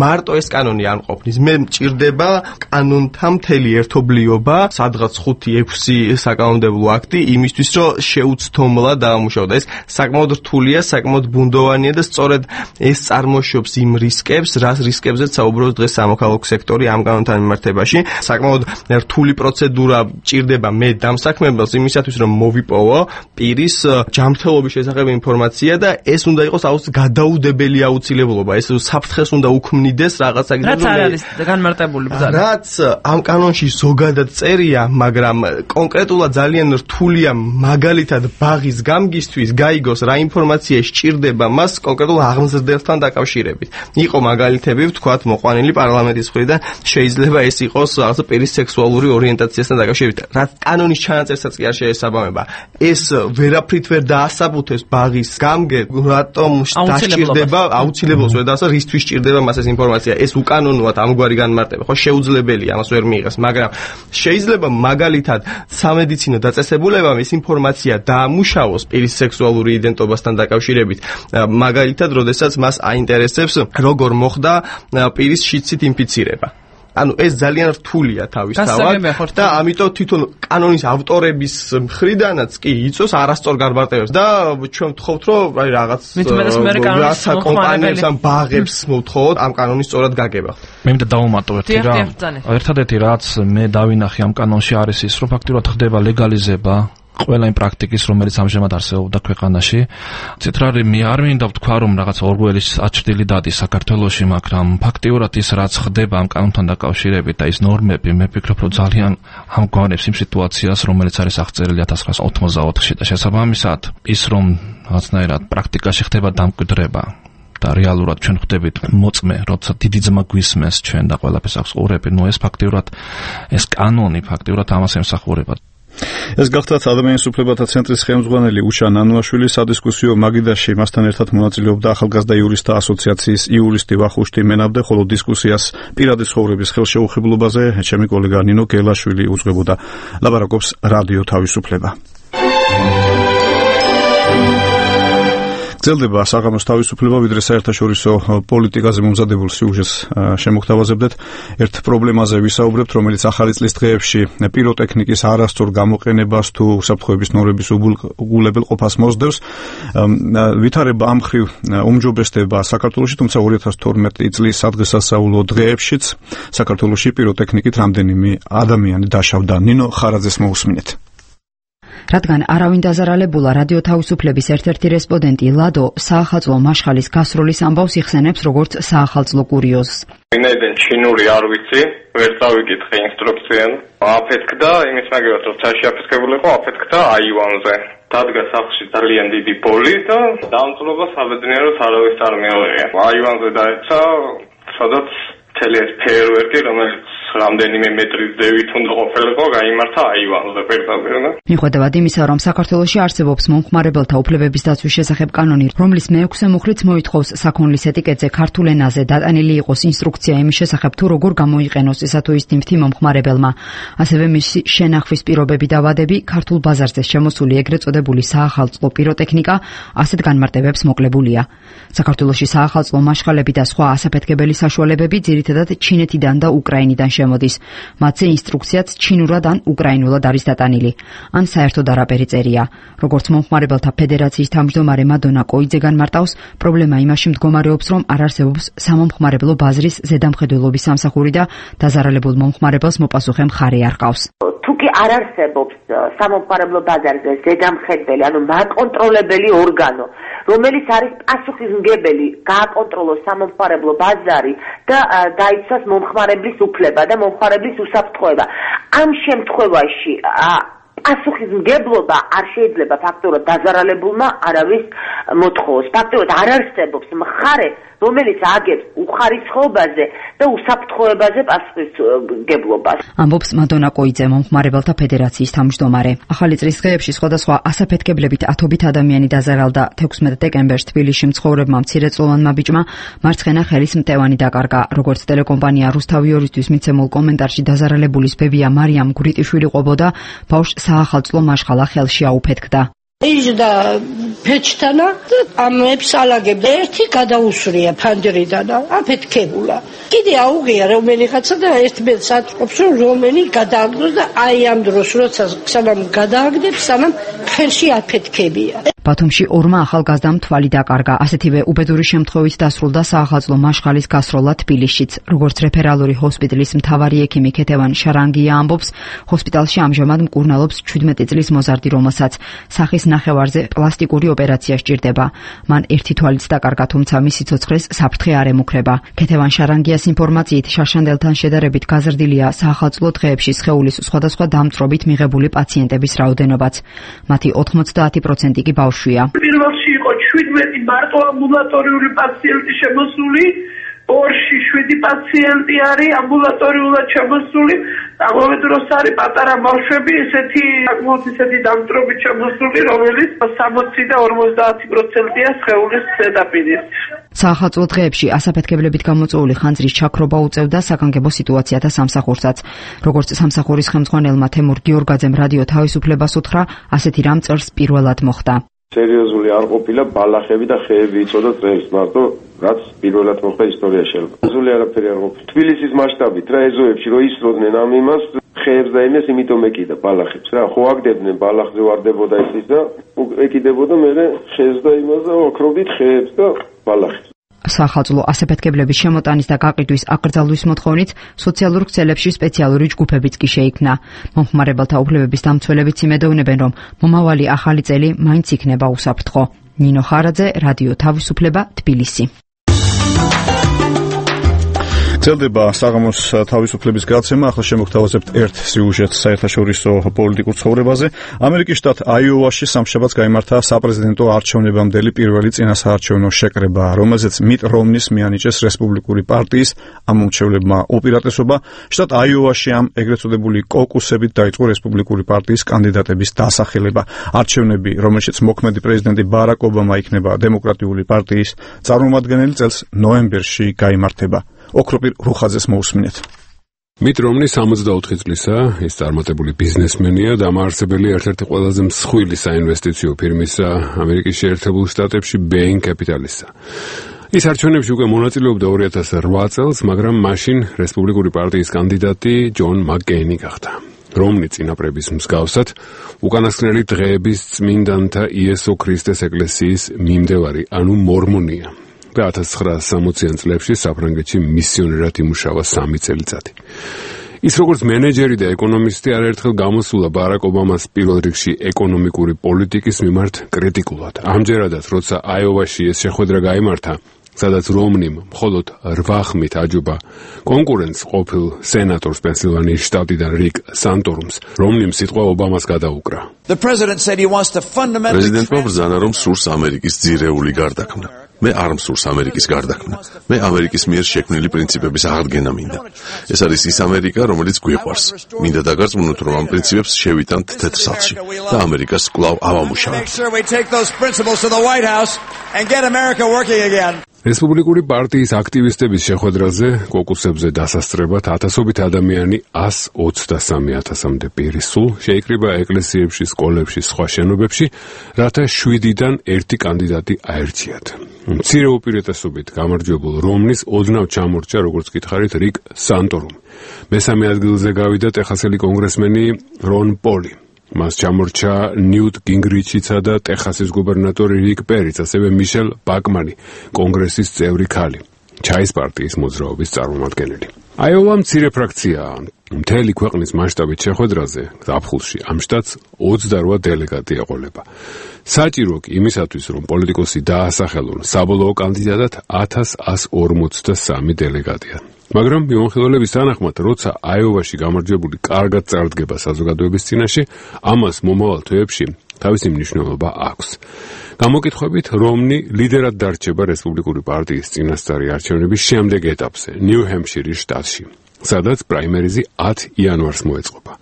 მარტო ეს კანონი არ მყოფნის. მე მჭირდება კანონთან მთელი ერთობლიობა, სადღაც ხუთი ექვსი საკანონმდებლო აქტი იმისთვის, რომ შეუცდომლად დავამუშავო და ეს საკმაოდ რთულია, საკმაოდ ბუნდოვანია და სწორედ ეს წარმოშობს იმ რისკებს, რას რისკებზეც საუბრობს დღეს სამოქალაქო სექტორი ამ კანონთან მიმართებაში. საკმაოდ რთული პროცედურა ჭირდება მე დამსაქმებელს იმისათვის, რომ მოვიპოვო პირის ჯანმრთელობის შესახებ ინფორმაცია და ეს უნდა იყოს აუცილებლად გადაუდებელი აუცილებლობა. ეს საფრთხეს უნდა უქმნიდეს რაღაცა გზით, რაც არ არის განმარტებული ბრძანა. რაც ამ კანონში ზოგადად წერია, მაგრამ კონკრეტულად ძალიან რთულია მაგალითად ბაღის გამგისთვის გაიგოს რა ინფორმაცია სჭირდება მას კონკრეტულ აღმზრდელთან დაკავშირებით. იყო მაგალითები, ვთქვათ, მოყვანილი პარლამენტის მხრიდან, შეიძლება ეს იყოს რაღაცა პირის სექსუალური ორიენტაციასთან დაკავშირებით. რაც კანონის ჩანაწერსაც კი არ შეესაბამება. ეს ვერაფრით ვერ დაასაბუთებს ბაღის ამგერ რატომ დასჭირდება აუცილებლობს ვედასა რისთვის სჭირდება მას ეს ინფორმაცია ეს უკანონოა ამგვარი განმარტება ხო შეუძლებელია ამას ვერ მიიღეს მაგრამ შეიძლება მაგალითად სამედიცინო დაწესებულებამ ეს ინფორმაცია დაამუშავოს პირის სექსუალური იდენტობასთან დაკავშირებით მაგალითად როდესაც მას აინტერესებს როგორ მოხდა პირის შიდსით ინფიცირება ანუ ეს ძალიან რთულია თავისთავად და ამიტომ თვითონ კანონის ავტორების მხრიდანაც კი იწოს არასწორ განმარტებებს და ჩვენ ვთხოვთ რომ აი რაღაც რაღაცა კომპანიებს ან ბაღებს მოვთხოვოთ ამ კანონის სწორად გაგება. მე მინდა დავუმატო ერთი რა. ერთადერთი რაც მე დავინახე ამ კანონში არის ის რომ ფაქტიურად ხდება ლეგალიზება ყველა იმ პრაქტიკის, რომელიც ამჟამად არსებობდა ქვეყანაში. ცეტრარი მე არ მინდა ვთქვა, რომ რაღაც ორგველის აჩრდილი დადის საქართველოში, მაგრამ ფაქტიურად ის რაც ხდება ამ კანონთან დაკავშირებით და ის ნორმები, მე ვფიქრობ, რომ ძალიან ამგვარებს იმ სიტუაციას, რომელიც არის აღწერილი ათას ცხრაასა ოცდაოთხში და შესაბამისად ის რომ რაღაცნაირად პრაქტიკაში ხდება დამკვიდრება და რეალურად ჩვენ ხვდებით მოწმე, როცა დიდი ძმა გვისმენს ჩვენ და ყველაფერს აქვს ყურები, ნუ ეს ფაქტიურად ეს კანონი ფაქტიურად ამას ემსახურება. ეს გახლავთ ადამიანის უფლებათა ცენტრის ხელმძღვანელი უშა ნანუაშვილი სადისკუსიო მაგიდაში მასთან ერთად მონაწილეობდა ახალგაზრდა იურისტთა ასოციაციის იურისტი ვახუშტი მენაბდე, ხოლო დისკუსიას პირადი ცხოვრების ხელშეუხებლობაზე ჩემი კოლეგა ნინო გელაშვილი უძღვებოდა. ლაპარაკობს რადიო თავისუფლება. გრძელდება საღამოს თავისუფლება, ვიდრე საერთაშორისო პოლიტიკაზე მომზადებულ სიუჟეტს შემოგთავაზებდეთ. ერთ პრობლემაზე ვისაუბრებთ, რომელიც ახალი წლის დღეებში პიროტექნიკის არასწორ გამოყენებას თუ უსაფრთხოების ნორმების უგულებელყოფას მოსდევს. ვითარება ამ მხრივ უმჯობესდება საქართველოში, თუმცა ორი ათას თორმეტი წლის სადღესასწაულო დღეებშიც საქართველოში პიროტექნიკით რამდენიმე ადამიანი დაშავდა. ნინო ხარაძეს მოусმინეთ. რადგან არავინ დაზარალებულა რადიო თავისუფლების ერთ-ერთი რესპონდენტი ლადო საახალწლო მაშხალის გასროლის ამბავს იხსენებს როგორც საახალწლო კურიოზს. ვინაიდან ჩინური არ ვიცი, ვერ წავიკითხე ინსტრუქციენ. აფეთქდა იმის მაგალითად, რომ ცაში აფეთქებული იყო, აფეთქდა აივანზე. დადგა სახლში ძალიან დიდი ბოლი და დამწვრობა საბედნიეროდ არავის არ მეუღია. აივანზე დაეცა, სადაც მთელი ეს ფეერვერკი, რომელიც რამდენიმე მეტრის დევით უნდა ყოფილიყო, გაიმართა აივანზე პირდაპირ. მიუხედავად იმისა, რომ საქართველოში არსებობს მომხმარებელთა უფლებების დაცვის შესახებ კანონი, რომლის მეექვსე მუხლიც მოითხოვს საქონლის ეტიკეტზე ქართულ ენაზე დატანილი იყოს ინსტრუქცია იმის შესახებ, თუ როგორ გამოიყენოს ესა თუ ის თიმთი მომხმარებელმა. ასევე მისი შენახვის პირობები და ვადები ქართულ ბაზარზე შემოსული ეგრეთ წოდებული საახალწლო პიროტექნიკა ასეთ განმარტებებს მოკლებულია. საქართველოში საახალწლო მაშხალები და სხვა ასაფეთქებელი საშუალებები ძირითადად ჩინეთიდან და უკრაინიდან შემოდის. მათზე ინსტრუქციაც ჩინურად ან უკრაინულად არის დატანილი. ან საერთოდ არაფერი წერია. როგორც მომხმარებელთა ფედერაციის თავმჯდომარე მადონა კოიძე განმარტავს, პრობლემა იმაში მდგომარეობს, რომ არ არსებობს სამომხმარებლო ბაზრის ზედამხედველობის სამსახური და დაზარალებულ მომხმარებელს მოპასუხე მხარე არ ყავს. თუკი არ არსებობს სამომხმარებლო ბაზარზე ზედამხედველი, ანუ მაკონტროლებელი ორგანო, რომელიც არის პასუხისმგებელი გააკონტროლოს სამომხმარებლო ბაზარი და დაიცვას მომხმარებლის უფლება და მომხმარებლის უსაფრთხოება. ამ შემთხვევაში პასუხისმგებლობა არ შეიძლება ფაქტობრივად დაზარალებულმა არავის მოთხოვოს. ფაქტობრივად არ არსებობს მხარე, რომელიც აგებს უხარისხობაზე და უსაფრთხოებაზე პასუხისმგებლობას. ამბობს მადონა კოიძე, მომხმარებელთა ფედერაციის თავმჯდომარე. ახალი წლის დღეებში სხვადასხვა ასაფეთქებლებით ათობით ადამიანი დაზარალდა. თექვსმეტ დეკემბერს თბილისში მცხოვრებმა მცირეწლოვანმა ბიჭმა მარცხენა ხელის მტევანი დაკარგა. როგორც ტელეკომპანია რუსთავი ორისთვის მიცემულ კომენტარში დაზარალებულის ბებია მარიამ გვრიტიშვილი ყოფოდა, ბავშვს საახალწლო მაშხალა ხელში აუფეთქდა. იჯდა ფეჩთანა და ამებს ალაგებდა. ერთი გადაუსვრია ფანჯრიდან, აფეთქებულა. კიდე აუღია რომელიღაცა და ერთმეტს ატყობს, რომ რომელი გადააგდოს და აი ამ დროს, როცა სანამ გადააგდებს, სანამ ხელში აფეთქებია. ბათუმში ორმა ახალგაზრდამ თვალი დაკარგა. ასეთივე უბედური შემთხვევით დასრულდა საახალწლო მაშხალის გასროლა თბილისშიც. როგორც რეფერალური ჰოსპიტალის მთავარი ექიმი ქეთევან შარანგია ამბობს, ჰოსპიტალში ამჟამად მკურნალობს ჩვიდმეტი წლის მოზარდი, რომელსაც სახის ნახევარზე პლასტიკური ოპერაცია სჭირდება. მან ერთი თვალიც დაკარგა, თუმცა მისი ცოცხლეს საფრთხე არ ემუქრება. ქეთევან შარანგიას ინფორმაციით, შარშანდელთან შედარებით გაზრდილია საახალწლო დღეებში სხეულის სხვადასხვა დამწვრობით მიღებული პაციენტების რაოდენობაც. მათი ოთხმოცდაათი პროცენტი კი ბავშვია. პირველში იყო ჩვიდმეტი მარტო ამბულატორიული პაციენტი შემოსული, ორში შვიდი პაციენტი არის ამბულატორიულად შემოსული ამავე დროს არის პატარა ბავშვები, ესეთი საკმაოდ ისეთი დამწრობით შემოსული, რომელიც სამოცი და ორმოცდაათი პროცენტია სხეულის ზედაპირის. საახალწლო დღეებში ასაფეთქებლებით გამოწვეული ხანძრის ჩაქრობა უწევდა საგანგებო სიტუაციათა სამსახურსაც. როგორც სამსახურის ხელმძღვანელმა თემურ გიორგაძემ რადიო თავისუფლებას უთხრა, ასეთი რამ წელს პირველად მოხდა. სერიოზული არ ყოფილა ბალახები და ხეები იწოდა წელს, მარტო რაც პირველად მოხდა ისტორიაში. სერიოზული არაფერი არ ყოფილა. თბილისის მასშტაბით რა ეზოებში რო ისროდნენ ამ იმას, ხეებს და იმას იმიტომ ეკიდა ბალახებს რა. ხო აგდებდნენ ბალახზე ვარდებოდა ის და ეკიდებოდა მერე ხეს და იმას და ოქრობით ხეებს და ბალახებს. საახალწლო ასაფეთქებლების შემოტანის და გაყიდვის აკრძალვის მოთხოვნით სოციალურ ქსელებში სპეციალური ჯგუფებიც კი შეიქმნა. მომხმარებელთა უფლებების დამცველებიც იმედოვნებენ, რომ მომავალი ახალი წელი მაინც იქნება უსაფრთხო. ნინო ხარაძე, რადიო თავისუფლება, თბილისი. ძლდება საღამოს თავისუფლების გაცემა. ახლა შემოგთავაზებთ ერთ სიუჟეტს საერთაშორისო პოლიტიკურ ცხოვრებაზე. ამერიკის შტატ აიოვაში სამშაბათს გაიმართა საპრეზიდენტო არჩევნებამდელი პირველი წინასაარჩევნო შეკრება, რომელზეც მიტ რომნის მიანიჭეს რესპუბლიკური პარტიის ამომრჩევლებმა უპირატესობა. შტატ აიოვაში ამ ეგრეთ წოდებული კოკუსებით დაიწყო რესპუბლიკური პარტიის კანდიდატების დასახელება. არჩევნები, რომელშიც მოქმედი პრეზიდენტი ბარაკ ობამა იქნება დემოკრატიული პარტიის წარმომადგენელი, წელს ნოემბერში გაიმართება. ოქროპირ რუხაძეს მოусმინეთ. მიტ რომნი სამოცდაოთხი წლისაა, ის წარმატებული ბიზნესმენია და ამაარსებელი ერთ-ერთი ყველაზე მსხვილი საინვესტიციო ფირმისა ამერიკის შეერთებულ შტატებში Bain Capital-ისა. ის არჩევნებში უკვე მონაწილეობდა ორი ათას რვა წელს, მაგრამ მაშინ რესპუბლიკური პარტიის კანდიდატი ჯონ მაკკეინი გახდა. რომნი წინაპრების მსგავსად უკანასკნელი დღეების წმინდანთა იესო ქრისტეს ეკლესიის მიმდევარი, ანუ მორმონია. და ათას ცხრაასი სამოციან წლებში საფრანგეთში მისიონერად იმუშავა სამი წელიწადი. ის როგორც მენეჯერი და ეკონომისტი არაერთხელ გამოსულა ბარაკ ობამას პირველ რიგში ეკონომიკური პოლიტიკის მიმართ კრიტიკულად. ამჯერადაც, როცა აიოვაში ეს შეხვედრა გაიმართა, სადაც რომნიმ მხოლოდ რვა ხმით აჯობა კონკურენტს ყოფილ სენატორს პენსილვანიის შტატიდან რიკ სანტორუმს, რომნიმ სიტყვა ობამას გადაუკრა. პრეზიდენტმა ბრძანა, რომ სურს ამერიკის ძირეული გარდაქმნა. მე არ მსურს ამერიკის გარდაქმნა. მე ამერიკის მიერ შექმნილი პრინციპების აღდგენა მინდა. ეს არის ის ამერიკა, რომელიც გვიყვარს. მინდა დაგარწმუნოთ, რომ ამ პრინციპებს შევიტანთ თეთრ სახლში და ამერიკას კვლავ ავამუშავებთ. რესპუბლიკური პარტიის აქტივისტების შეხვედრაზე კოკუსებზე დასასწრებად ათასობით ადამიანი ას ოცდასამი ათასამდე პირი სულ შეიკრიბა ეკლესიებში, სკოლებში, სხვა შენობებში, რათა შვიდიდან ერთი კანდიდატი აერჩიათ. მცირე უპირატესობით გამარჯვებულ რომნის ოდნავ ჩამორჩა, როგორც გითხარით, რიკ სანტორუმი. მესამე ადგილზე გავიდა ტეხასელი კონგრესმენი რონ პოლი. მას ჩამორჩა ნიუტ გინგრიჩიცა და ტეხასის გუბერნატორი რიკ პერიც, ასევე მიშელ ბაკმანი, კონგრესის წევრი ქალი, ჩაის პარტიის მოძრაობის წარმომადგენელი. აიოვა მცირე ფრაქციაა. მთელი ქვეყნის მასშტაბით შეხვედრაზე ზაფხულში ამ შტატს ოცდარვა დელეგატი ეყოლება. საჭირო კი იმისათვის, რომ პოლიტიკოსი დაასახელონ საბოლოო კანდიდატად ათას ას ორმოცდასამი დელეგატია. მაგრამ მიმოხილველების თანახმად, როცა აიოვაში გამარჯვებული კარგად წარდგება საზოგადოების წინაშე, ამას მომავალ თვეებში თავისი მნიშვნელობა აქვს. გამოკითხვებით, რომნი ლიდერად დარჩება რესპუბლიკური პარტიის წინასწარი არჩევნების შემდეგ ეტაპზე, ნიუ-ჰემპშირის შტატში, სადაც პრაიმერიზი ათი იანვარს მოეწყობა.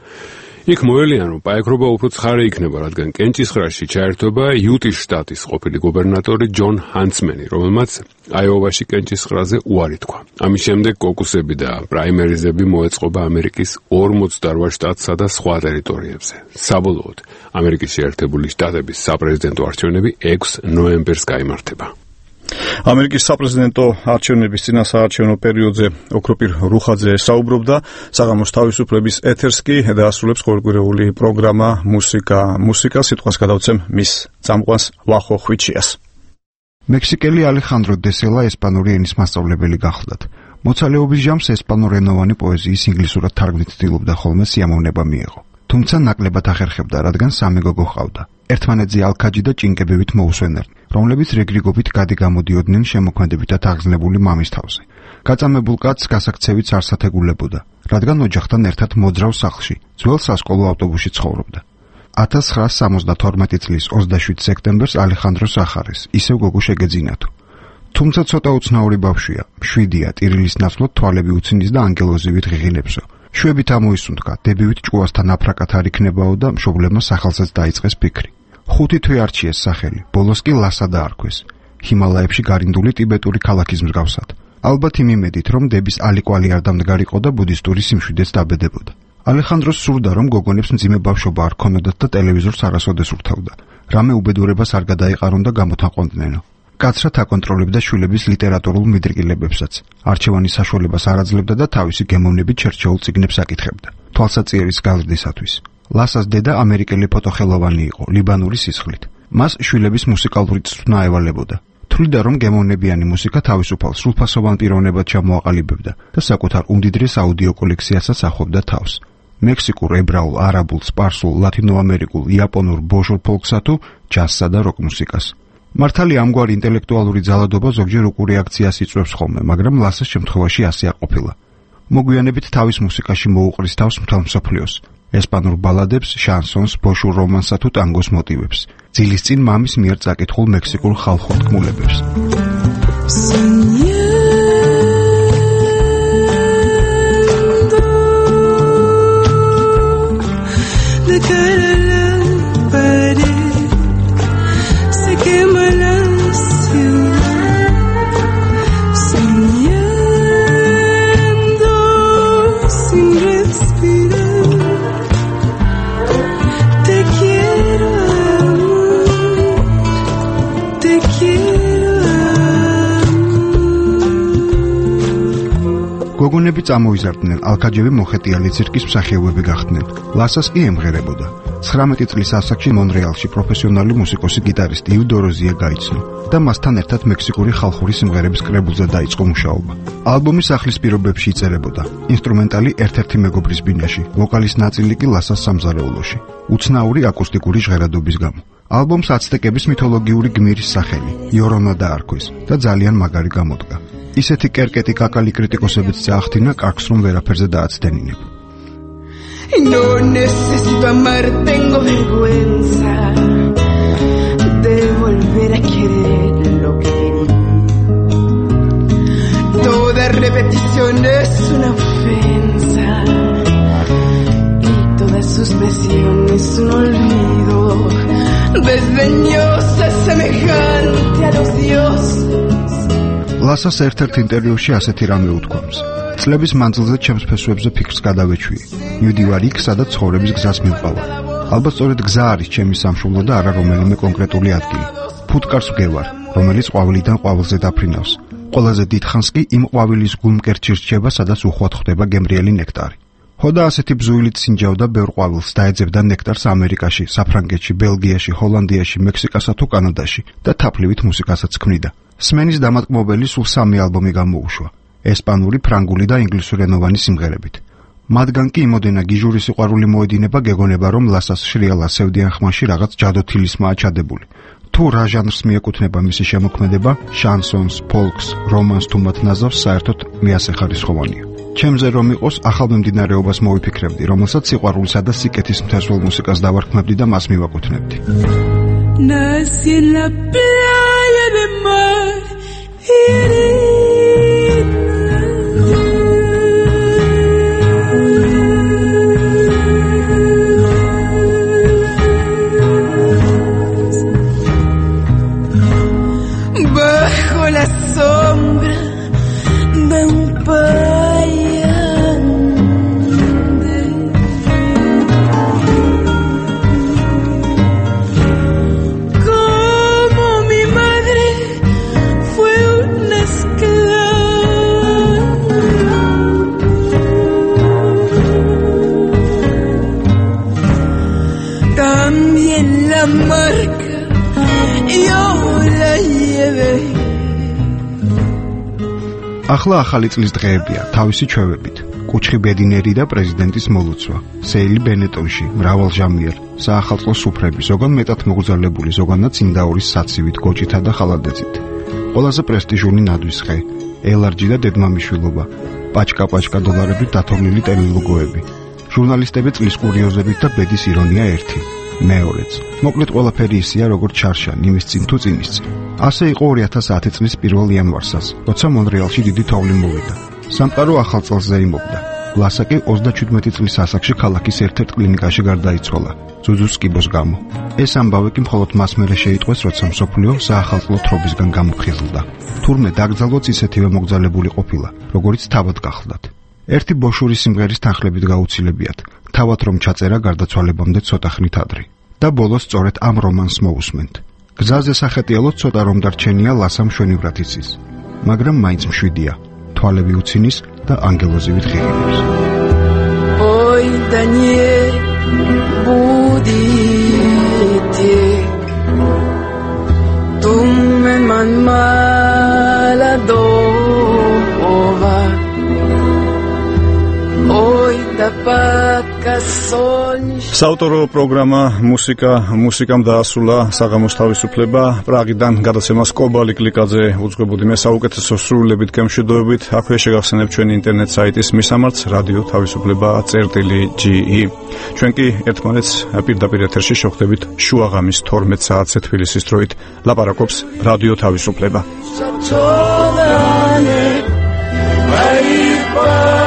იქ მოელიან, რომ პაექრობა უფრო ცხარე იქნება, რადგან კენჭისყრაში ჩაერთვება იუტის შტატის ყოფილი გუბერნატორი ჯონ ჰანცმენი, რომელმაც აიოვაში კენჭისყრაზე უარი თქვა. ამის შემდეგ კოკუსები და პრაიმერიზები მოეწყობა ამერიკის ორმოცდარვა შტატსა და სხვა ტერიტორიებზე. საბოლოოდ, ამერიკის შეერთებული შტატების საპრეზიდენტო არჩევნები ექვსი ნოემბერს გაიმართება. ამერიკის საპრეზიდენტო არჩევნების წინასაარჩევნო პერიოდზე ოქროპირ რუხაძე საუბრობდა. საღამოს თავისუფლების ეთერს კი დაასრულებს ყოველკვირეული პროგრამა მუსიკა. მუსიკა სიტყვას გადავცემ მის წამყვანს ვახო ხვიჩიას. მექსიკელი ალეხანდრო დესელა ესპანური ენის მასწავლებელი გახლდათ. მოცალეობის ჟამს ესპანურენოვანი პოეზიის ინგლისურად თარგმნით ცდილობდა, ხოლმე სიამოვნება მიეღო. თუმცა ნაკლებად ახერხებდა, რადგან სამი გოგო ჰყავდა. ერთმანეთზე ალქაჯი და ჭინკებივით მოუსვენერნი, რომლებიც რეგრიგობით გადი-გამოდიოდნენ შემოქმედებითად აღზნებული მამის თავზე. გაწამებულ კაცს გასაქცევით არ სათეგულებოდა, რადგან ოჯახთან ერთად მოძრავ სახლში, ძველ სასკოლო ავტობუსში ცხოვრობდა. ათას ცხრაასი სამოცდათორმეტი წლის ოცდაშვიდ სექტემბერს ალეხანდროს ახარეს, ისევ გოგო შეგეძინათო. თუმცა ცოტა უცნაური ბავშვია, მშვიდია, ტირილის ნაცვლად თვალები უცინის და ანგელოზივით ღიღინებსო. შვებით ამოისუნთქა, დებივით ჭკუასთან აფრაკათ არ იქნებაო და მშობლებმა სახელსაც დაიწყეს ფიქრი. ხუთი თვე არჩიეს სახელი, ბოლოს კი ლასა დაარქვეს. ჰიმალაებში გარინდული ტიბეტური ქალაქის მსგავსად. ალბათ იმ იმედით, რომ დების ალიკვალი არ დამდგარიყო და ბუდისტური სიმშვიდეც დაბედებოდა. ალეხანდროს სურდა, რომ გოგონებს მძიმე ბავშვობა არ ქონოდათ და ტელევიზორს არასოდეს ურთავდა. რამე უბედურებას არ გადაეყარონ და გამოთანყონდნენო. კაცრად აკონტროლებდა შვილების ლიტერატურულ მიდრკილებებსაც. არჩევანის საშუალებას არ აძლევდა და თავისი გემოვნებით შერჩეულ წიგნებს აკითხებდა. თვალსაწიერის გაზრდისათვის. ლასას დედა ამერიკელი ფოტოხელოვანი იყო, ლიბანური სისხლით. მას შვილების მუსიკალური წვრთნა ევალებოდა. თვლიდა, რომ გემოვნებიანი მუსიკა თავისუფალ სრულფასოვან პიროვნებად ჩამოაყალიბებდა და საკუთარ უმდიდრეს აუდიო კოლექციასაც ახლობდა თავს. მექსიკურ, ებრაულ, არაბულ, სპარსულ, ლათინოამერიკულ, იაპონურ, ბოჟურ ფოლკსა თუ ჯაზსა და როკ მუსიკას. მართალი ამგვარი ინტელექტუალური ძალადობა ზოგჯერ უკუ რეაქციას იწვევს ხოლმე, მაგრამ ლასას შემთხვევაში ასე არ ყოფილა. მოგვიანებით თავის მუსიკაში მოუყრის თავს მთელ მსოფლიოს. ესპანურ ბალადებს, შანსონს, ბოშურ რომანსსა თუ ტანგოს მოტივებს. ძილის წინ მამის მიერ წაკითხულ მექსიკურ ხალხურ თქმულებებს. გოგონები წამოიზარდნენ, ალქაჯევი მოხეტიალი ცირკის მსახიობები გახდნენ. ლასას კი ემღერებოდა. ცხრამეტი წლის ასაკში მონრეალში პროფესიონალი მუსიკოსი გიტარისტი იუდო როზია გაიცნო და მასთან ერთად მექსიკური ხალხური სიმღერების კრებულზე დაიწყო მუშაობა. ალბომი სახლის პირობებში იწერებოდა. ინსტრუმენტალი ერთ-ერთი მეგობრის ბინაში, ვოკალის ნაწილი კი ლასას სამზარეულოში. უცნაური აკუსტიკური ჟღერადობის გამო. ალბომს აცტეკების მითოლოგიური გმირის სახელი, იორონა დაარქვეს და ძალიან მაგარი გამოდგა. ისეთი კერკეტი კაკალი კრიტიკოსებიც წაახდინა კარგს, რომ ვერაფერზე დააცდენინებ. No necesito amar, tengo vergüenza de volver a querer lo que querí. Toda repetición es una ofensa y toda suspesión es un olvido desdeñosa semejante a los dioses. ლასას ერთ-ერთ ინტერვიუში ასეთი რამე უთქვამს. წლების მანძილზე ჩემს ფესვებზე ფიქრს გადავეჩვი. მივდივარ იქ, სადაც ცხოვრების გზას მივყავა. ალბათ სწორედ გზა არის ჩემი სამშობლო და არა რომელიმე კონკრეტული ადგილი. ფუტკარს ვგევარ, რომელიც ყვავილიდან ყვავილზე დაფრინავს. ყველაზე დიდხანს კი იმ ყვავილის გულმკერდში რჩება, სადაც უხვად ხვდება გემრიელი ნექტარი. ხოდა ასეთი ბზუილით სინჯავდა ბევრ ყვავილს და ეძებდა ნექტარს ამერიკაში, საფრანგეთში, ბელგიაში, ჰოლანდიაში, მექსიკასა თუ კანადაში და თაფლივით მუსიკასაც ქმნიდა. სმენის დამატკმობელი სულ სამი ალბომი გამოუშვა. ესპანური, ფრანგული და ინგლისურენოვანი სიმღერებით. მათგან კი იმოდენა გიჟური სიყვარული მოედინება, გეგონება, რომ ლასას შრიალ ასევდიან ხმაში რაღაც ჯადოთილისმაა ჩადებული. თუ რა ჟანრს მიეკუთვნება მისი შემოქმედება, შანსონს, ფოლკს, რომანს თუ მათ ნაზავს, საერთოდ მეასეხარისხოვანია. ჩემზე რომ იყოს, ახალ მიმდინარეობას მოვიფიქრებდი, რომელსაც სიყვარულისა და სიკეთის მთესველ მუსიკას დავარქმევდი და მას მივაკუთვნებდი. Nací en la playa de mar y bajo la sombra de un payante como mi madre fue una esclava también la marca yo la llevé. ახლა ახალი წლის დღეებია, თავისი ჩვევებით. კუჩხი ბედინერი და პრეზიდენტის მოლუცვა. სეილი ბენეტონში, მრავალჟამიერ, საახალწლო სუფრები, ზოგან მეტად მოგზალებული, ზოგანაც ინდაურის საცივით, გოჭითა და ხალადეცით. ყველაზე პრესტიჟული ნადვისხე, ელარჯი და დედმამიშვილობა, პაჩკა-პაჩკა დოლარებით დათორლილი ტელელოგოები. ჟურნალისტები წლის კურიოზებით და ბედის ირონია ერთი. მეორეც. მოკლედ ყველაფერი ისეა, როგორც ჩარშან, იმის წინ თუ წინის წინ. ასე იყო ორი ათას ათი წლის პირველ იანვარსაც, როცა მონრეალში დიდი თოვლი მოვიდა. სამყარო ახალ წელს ზეიმობდა. ლასა კი ოცდაჩვიდმეტი წლის ასაკში ქალაქის ერთ-ერთ კლინიკაში გარდაიცვალა ზუზუს კიბოს გამო. ეს ამბავი კი მხოლოდ მას მერე შეიტყვეს, როცა მსოფლიო საახალწლო თრობისგან გამოფხიზლდა. თურმე დაკრძალვაც ისეთივე მოგზალებული ყოფილა, როგორც თავად გახლდათ. ერთი ბოშური სიმღერის თანხლებით გაუცილებიათ, თავად რომ ჩაწერა გარდაცვალებამდე ცოტა ხნით ადრე. და ბოლოს სწორედ ამ რომანს მოусმენთ. გზაზე სახეტიალოდ ცოტა რომ დარჩენია ლასამ შვენივრად იცის, მაგრამ მაინც მშვიდია, თვალები უცინის და ანგელოზივით ღირიბებს. Ой, да не будете, думай, ман молодого. Ой, да падка солнышко. საავტორო პროგრამა მუსიკა მუსიკამ დაასრულა საღამოს თავისუფლება. პრაღიდან გადაცემას კობალი კლიკაძე უძღვებოდი მე საუკეთესო სრულებით გემშვიდობებით. აქვე შეგახსენებთ ჩვენი ინტერნეტ საიტის მისამართს რადიო თავისუფლება წერტილი ჯი ი. ჩვენ კი ერთმანეთს პირდაპირ ეთერში შევხვდებით შუაღამის თორმეტ საათზე თბილისის დროით. ლაპარაკობს რადიო თავისუფლება. Ai, pa,